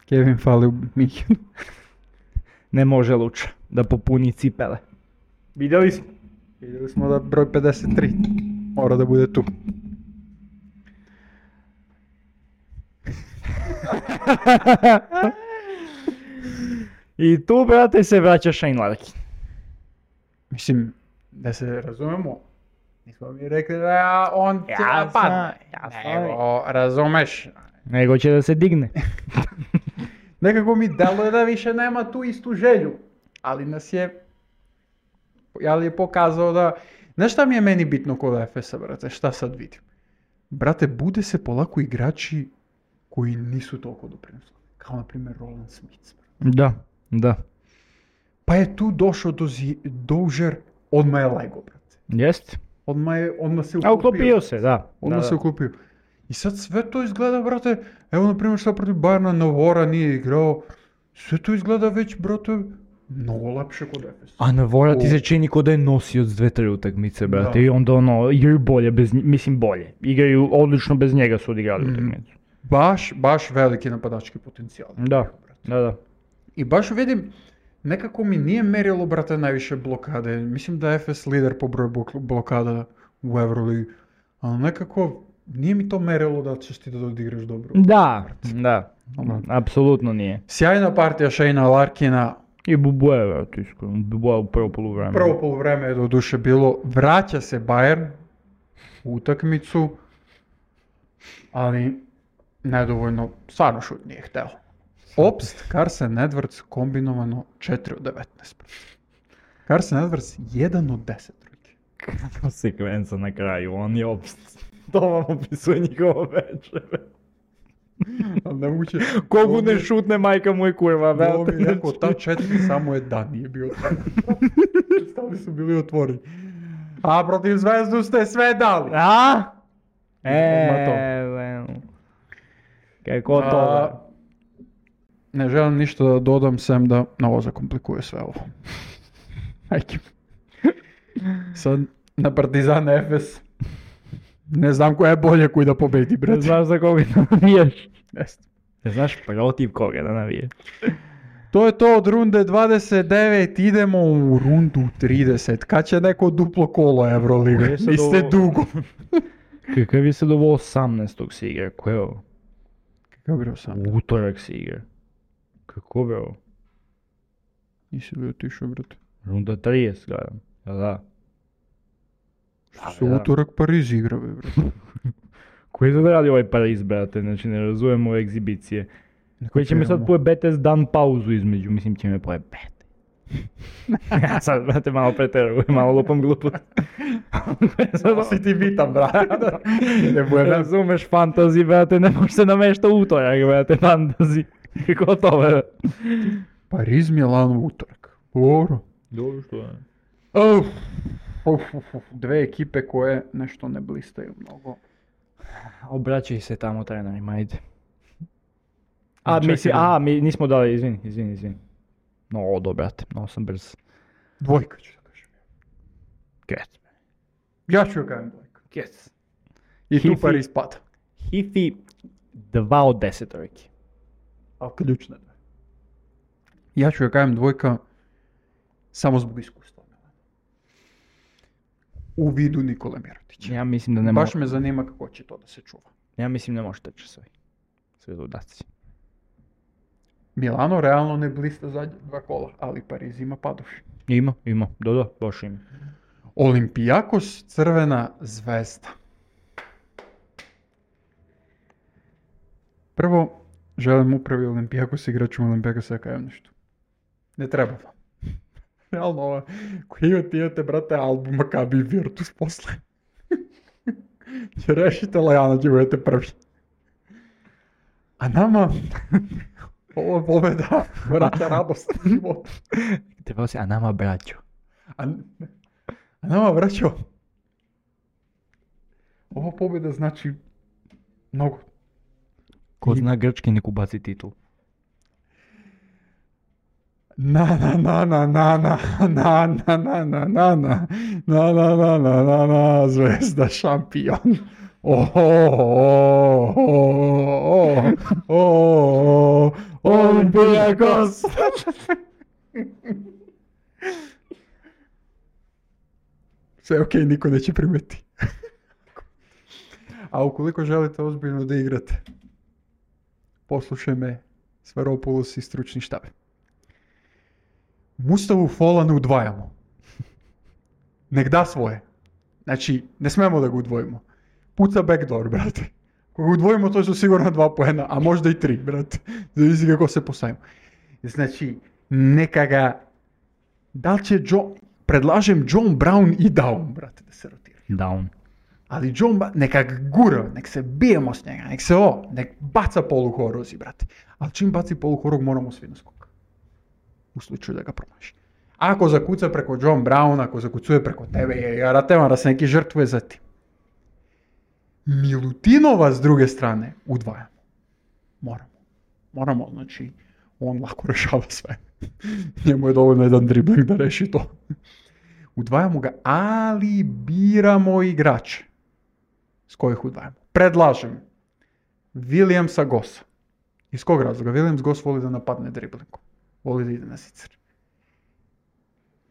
Kevin fali u Münchenu. Ne može Luča da popuni cipele. Vidjeli smo. Vidjeli smo da broj pedeset tri mora da bude tu. I tu, brate, se vraća Shane Larkin. Mislim, da se razumemo, nismo mi rekli da on će Jasno, da padne. jasno. Nego, razumeš, Nego će da se digne. Nekako mi deluje da više nema tu istu želju, ali nas je, ali je pokazao da, znaš šta mi je meni bitno kod Ef Esa, brate, šta sad vidim? Brate, bude se polako igrači koji nisu toliko doprinosili, kao na primjer Roland Smith. Da, da. Pa je tu došao do zi, Dozier, odmah je lego, brate. Jest? Odmah, je, odmah se A uklopio. uklopio se, da. Odmah da, se da. uklopio. I sad sve to izgleda, brate, evo na primjer šta protiv Bayerna, Navora nije igrao, sve to izgleda već, brate, mnogo lepše kod Ef Esa. A Navora ti O. se čini ko da je nosio s dve, tri utakmice, brate, Da. i onda ono, igraju bolje bez nje, mislim bolje. Igraju odlično bez njega su odigrali Mhm. utakmicu. Baš, baš veliki napadački potencijal. Da, da, da. I baš vidim, nekako mi nije merilo, brate, najviše blokade. Mislim da je Ef Es lider po broju blok- blokada u Euroligi. Ali nekako nije mi to merilo da ćeš ti da odigraš dobro. Da, da, Ono. apsolutno nije. Sjajna partija Shayna Larkina. I Bubue, brate, iskreno, Bubue u prvo poluvreme. Prvo poluvreme je do duše bilo. Vraća se Bayern u utakmicu. Ali nedovoljno, stvarno šut nije hteo. Opst, Carsen Edwards kombinovano četiri od devetnaest. Carsen Edwards jedan od deset trojki. Kakva sekvenca na kraju, on je opst. To vam opisuje njihovo večer. Ali nemoguće. Kogu ne šutne, majka moj kurva, Ovo brate. mi je rekao, ta četiri samo je dan nije bio otvoren. Stali su bili otvoreni. A protiv Zvezdu ste sve dali. A? Ma to. E, kako to? A, ne želim ništa da dodam, sem da novo zakomplikuje sve ovo. Ajde. Sad na Partizan Ef Es. Ne znam koja je bolje koji da pobedi, Ne brate. znaš za koga da navijaš. Jeste. Ne znaš protiv koga da navijaš. To je to od runde dvadeset devet, idemo u rundu trideset. Kad će neko duplo kolo Euroliga? Gdje se Niste do- dugo. Kakav je sad ovo osamnaestog se igra? Ko je ovo? Kako bi sam? U utorak se igra. Kako bi ovo? Nisi li otišao, brate? Runda trideset gledam. Jel da? Što se da. utorak Pariz igra, be, brate? Koji sad radi ovaj Pariz, brate? Znači ne razumijem ove egzibicije. Koji će mi sad Kapiramo. pojebete s dan pauzu između, mislim će me pojebete. Ja sad, brate, malo preterujem, malo lupam glupost. Samo si ti bitan, brate. Ne bude Ne nam. razumeš fantasy, brate, ne može se namešta utorak, brate, fantasy. Kako to, brate? Pariz, Milano, utorak. Dobro. Dobro što je. Uf, uf, uf, uf. Dve ekipe koje nešto ne blistaju mnogo. Obraćaj se tamo trenerima, ajde. A, Čekaj misli, da- a, mi nismo dali, izvini, izvini, izvini. No, odo, brate, no sam brz. Dvojka ću da kažem. Get. Ja ću joj kažem dvojka. Get. I tu Hifi. Pariz pada. Hifi, dva od deset trojki. Ali ključne dve. Ja ću joj kažem dvojka samo zbog iskustva. U vidu Nikole Mirotića. Ja mislim da ne Baš mo- me zanima kako će to da se čuva. Ja mislim ne može teći sve. Sve dodaci. Milano realno ne blista zadnja dva kola, ali Pariz ima padoši. Ima, ima, da, da, baš ima. Olimpijakos, Crvena zvezda. Prvo, želim upravi Olimpijakos, igračima Olimpijakosa, ja kajem nešto. Ne treba vam. Realno, ova, koji imate, imate, brate, album Maccabi i Virtus posle. Će rešite Lejana, će budete prvi. A nama, ovo je pobjeda, vraća radost na životu. Trebalo si, a nama braćo. A, a nama, vraćo, ova pobjeda znači mnogo. Ko I- zna grčki nek ubaci titul. Na na na na na na na na na na na na na na na na na na zvezda šampion. Oh, oh, oh, oh, oh, oh, Olimpijakos. Sve ok, niko neće primeti. A ukoliko želite ozbiljno da igrate, poslušaj me, Svaropoulos i stručni štab. Mustavu Fola ne udvajamo. Nek da svoje. Znači, ne smemo da ga udvojimo. Puca backdoor, brate. Ako udvojimo, to su sigurno dva poena, a možda i tri, brate. Zavisi kako se postavimo. Znači, neka ga, da li će John, predlažem John Brown i Daum, brate, da se rotira. Down. Ali John, Ba- neka ga gura, nek se bijemo s njega, nek se ovo, nek baca poluhorozi, brate. Ali čim baci poluhorog, moramo svi na skok. U slučaju da ga promaši. Ako zakuca preko John Browna, ako zakucuje preko tebe, je jaratevan da se neki žrtvuje za ti. Milutinova s druge strane udvajamo. Moramo. Moramo, znači, on lako rešava sve. Njemu je dovoljno jedan dribling da reši to. Udvajamo ga, ali biramo igrače. S kojih udvajamo? Predlažem Williamsa Gossa. Iz kog razloga? Williams Goss voli da napadne driblingom. Voli da ide na sicer.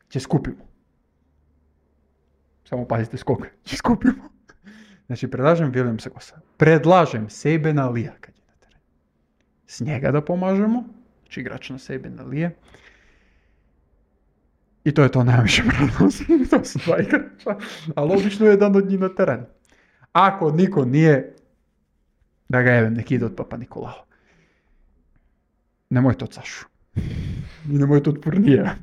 Će skupimo. Samo pazite skok. Će skupimo. Znači, predlažem Williamsa Gossa. Predlažem Sabina Lee-a kad je na terenu. S njega da pomažemo. Znači, igrač na Sabina Lee. I to je to, najviše prednosti. To su dva igrača. Ali obično je jedan od njih na terenu. Ako niko nije, da ga jevem, nek ide od Papa Nikolao. Nemojte od Sašu. I nemojte od Purnija.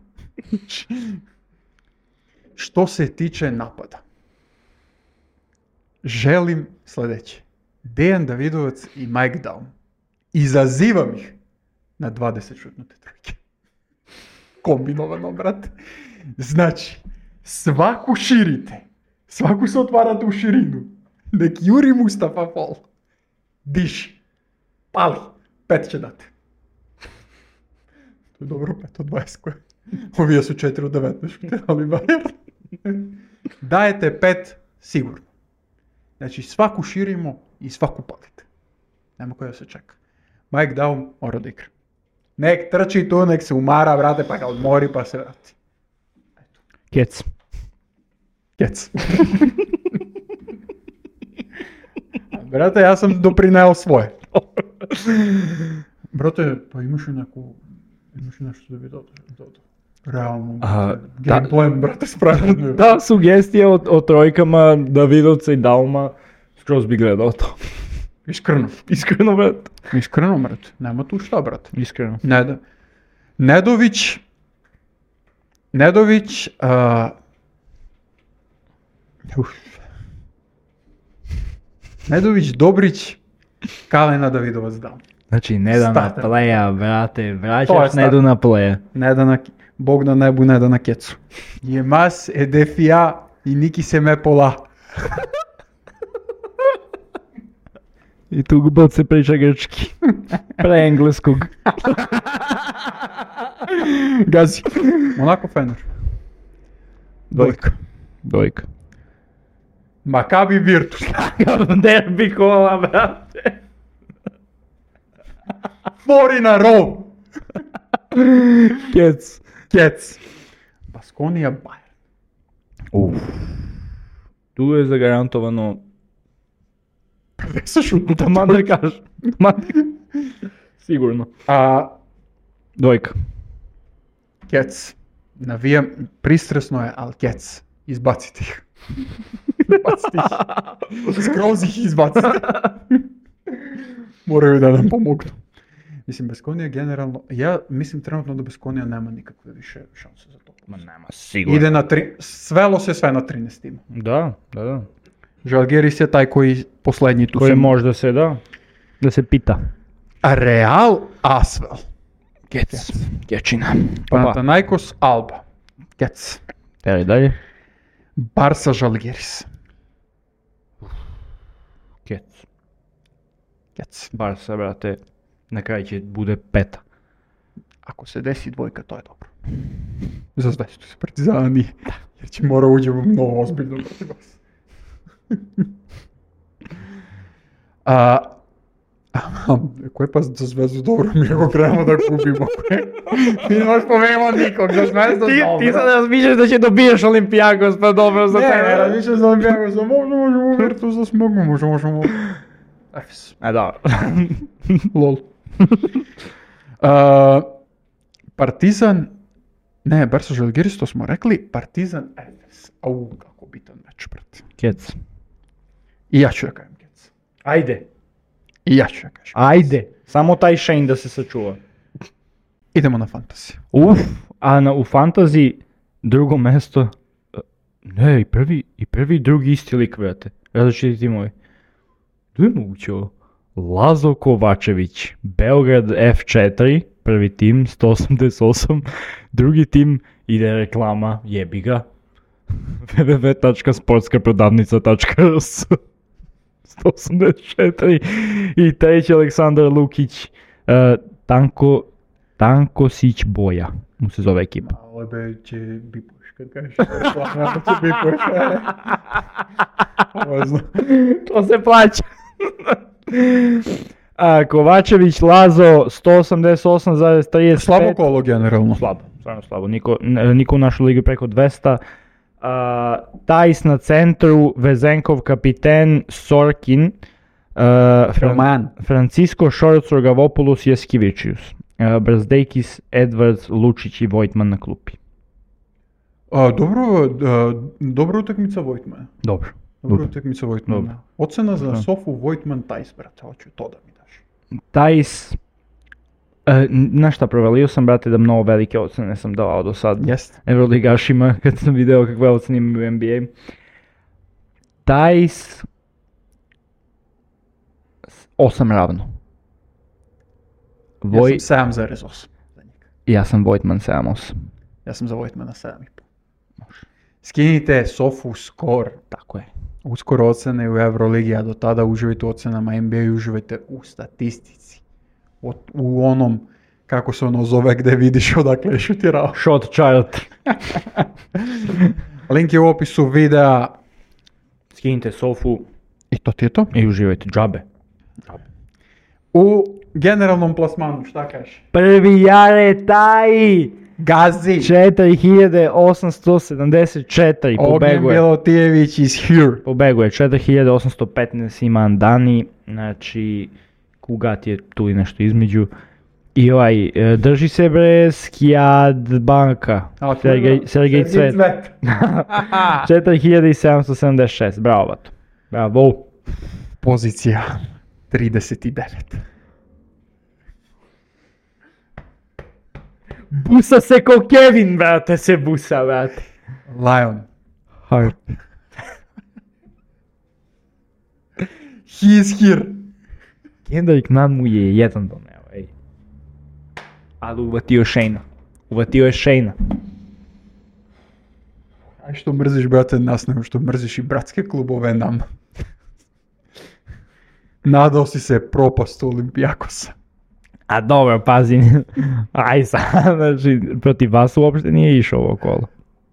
Što se tiče napada, želim sljedeće. Dejan Davidovac i Mike Daum. Izazivam ih na dvadeset šutnute trojke. Kombinovano, brate. Znači, svaku širite. Svaku se otvarate u širinu. Nek Juri Mustafa Fall. Diši. Pali. Pet će dati. To je dobro, pet od dvadeset koje. Ovi su četiri od devetnaest, ali Bayern. Dajete pet sigurno. Znači, svaku širimo i svaku palite. Nema koja se čeka. Mike Daum mora da igra. Nek trči tu, nek se umara, vrate, pa ga odmori, pa se vrati. Kec. Kec. Brate, ja sam doprineo svoje. Brate, pa imaš i neku, imaš i nešto da bi dodao, dodao. Realno, Aha, gameplay, brate, spravljeno. Da, sugestije o, o trojkama Davidovca i Dauma, skroz bi gledao to. Iskreno. Iskreno, brat. Iskreno, brate. Nema tu šta, brate. Iskreno. Neda. Nedović, Nedović, uh, uf. Nedović, Dobrić, Kalena, Davidovac, Daum. Znači, ne da na Starter. playa, brate, To je vraćaš starter. ne do na playa. Ne da na, Bog na nebu, ne da na kecu. Je mas edefija i niki se me pola. I tu gbot se priča grčki. Pre engleskog. Gazi. Monako Fener. Dvojka. Dvojka. Makabi Virtus. Derbi kola, brate. Forina Rov. Kec. Kec. Baskonija Bayern. Uf. Tu je zagarantovano. pedeset šutnuta Taman da kažem. Taman da kažem. Sigurno. A Dvojka. Kec. Navijam, pristresno je, ali Kec. Izbacite ih. Izbacite ih. Skroz ih izbacite. Moraju da nam pomognu. Mislim, Baskonija generalno, ja mislim trenutno da Baskonija nema nikakve više šanse za to. Ma nema, sigurno. Ide na tri, svelo se sve na trinaest tima. Da, da, da. Žalgiris je taj koji posljednji tu Koji se- možda se da, da se pita. A Real Asvel. Kec. Kečina. Panathinaikos Alba. Kec. Teri dalje. Barsa Žalgiris. Kec. Kec. Barsa, brate, na kraju će bude peta. Ako se desi dvojka, to je dobro. Za Zvezdu se Partizana nije. Jer će mora uđemo mnogo ozbiljno protiv vas. A, a, ko je pa za Zvezdu dobro, mi ako krenemo da gubimo. Mi ne možeš pomenemo nikog, za Zvezdu dobro. razmišljaš da će dobiješ Olimpijakos, pa dobro za Ne, ne, razmišljam za Olimpijakos, možda možemo Virtus da smognu, možda možemo... Efes. A da. Lol. Uh, Partizan, ne, Barsa Žalgiris, to smo rekli, Partizan Efes. Au, kako bitan meč, brate. Kec. I ja ću da kajem Kec. Ajde. I ja ću ja kažem. Ajde, samo taj Shane da se sačuva. Idemo na fantasy. Uf, a na, u fantasy drugo mesto, ne, i prvi, i prvi i drugi isti lik, brate, različiti timovi. To je moguće ovo. Lazo Kovačević, Beograd F četiri, prvi tim, sto osamdeset osam, drugi tim, ide reklama, jebi ga, w w w tačka sportska prodavnica tačka r s, sto osamdeset četiri, i treći Aleksandar Lukić, uh, Tanko, Tankosić Boja, mu se zove ekipa. Ovo be će bipuš, kad kažeš. Ovo će bipuš. Ovo znam. To se plaća. A, Kovačević, Lazo, sto osamdeset osam zarez trideset pet. Slabo kolo generalno. Slabo, stvarno slabo. Niko, n- niko u našoj ligi preko dvesta. A, Tajs na centru, Vezenkov kapiten, Sorkin, uh, Fran- Roman. Francisco Šorco, Gavopoulos, Jeskivičius, uh, Brzdejkis, Edwards, Lučić i Vojtman na klupi. A, dobro, a, dobra utakmica Vojtmana. Dobro. Dobra utakmica Vojtmana. Dobro. Ocena za Da. Sofu Vojtman Tajs, brate, hoću to da mi daš. Tajs, e, znaš šta, provalio sam, brate, da mnogo velike ocene sam davao do sad. Jest. Euroligašima, kad sam video kakve ocene imaju u N B A. Tajs, osam ravno. Voj, Ja sam sedam zarez osam za njega. ja sam Vojtman sedam osam. Ja sam za Vojtmana sedam i pol. Skinite Sofu skor. Tako je. Uskoro ocene u Euroligi, a do tada uživajte u ocenama N B A i uživajte u statistici. O, u onom, kako se ono zove, gde vidiš odakle je šutirao. Shot chart. Link je u opisu videa. Skinite Sofu I to ti je to. i uživajte džabe. U generalnom plasmanu, šta kažeš? Prvi Jare Taji! Gazi! četiri hiljade osamsto sedamdeset četiri Ognjen pobeguje. Milotijević is here. Pobeguje, četiri hiljade osamsto petnaest ima Andani, znači Kugat je tu i nešto između. I ovaj, e, drži se bre Skijad banka, A, to je Sergej, dobro. Sergej Cvet. četiri hiljade sedamsto sedamdeset šest, bravo bato. Bravo. Pozicija trideset devet. Busa se ko Kevin, brate, se busa, brate. Lion. Hard. He is here. Kendrick Nunn mu je jedan doneo, ej. Ali uvatio Shane-a. Uvatio je Shane-a. Aj što mrziš, brate, nas nego što mrziš i bratske klubove nam. Nadao si se propastu Olimpijakosa. A dobro, pazi, aj sad, znači, protiv vas uopšte nije išao ovo kolo.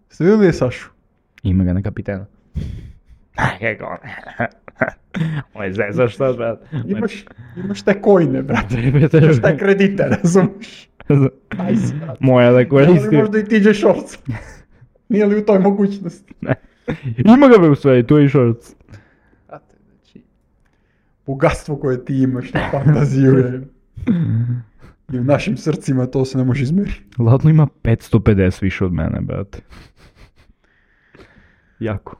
Ste vidjeli je Sašu? Ima ga na kapitena. Kako on? Ovo je zezaš šta, brat. Imaš, imaš te kojne, brate. Imaš Imaš te kredite, razumiješ? Aj si, brate. Moja da Ali koristim. možda i T J Shorts. Nije li u toj mogućnosti? Ima ga be u stvari, tu je i Shorts. Brate, znači, bogatstvo koje ti imaš na fantaziju je... I u našim srcima to se ne može izmeriti. Ladno ima petsto pedeset više od mene, brate. Jako.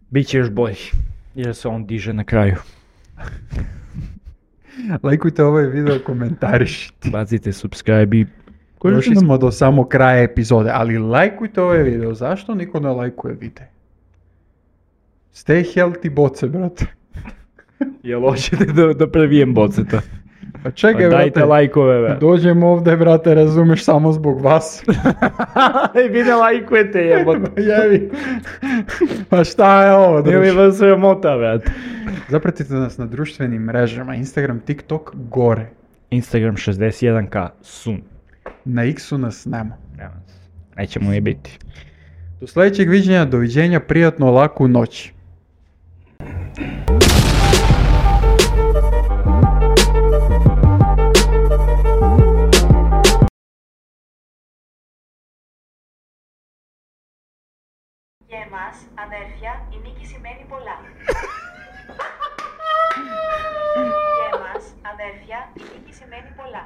Biće još bolji, jer se on diže na kraju. Lajkujte ovaj video, komentarišite. Bacite subscribe i... Došli smo do samo kraja epizode, ali lajkujte ovaj video. Zašto niko ne lajkuje video? Stay healthy, boce, brate. Jel hoćete da, da previjem boceta? Pa čekaj, Pa dajte brate. lajkove, brate. Dođem ovdje, brate, razumeš, samo zbog vas. I vi ne lajkujete, jebote. Jevi. Pa šta je ovo, Nije mi druže? vas sramota, brate. Zapratite nas na društvenim mrežama, Instagram, TikTok, gore. Instagram šezdeset jedan ka, sun. Na X-u nas nema. Nema se. Nećemo ni biti. Do sljedećeg viđenja, doviđenja, prijatno, laku noć. Για εμάς, αδέρφια, η νίκη σημαίνει πολλά. Για εμάς, αδέρφια, η νίκη σημαίνει πολλά.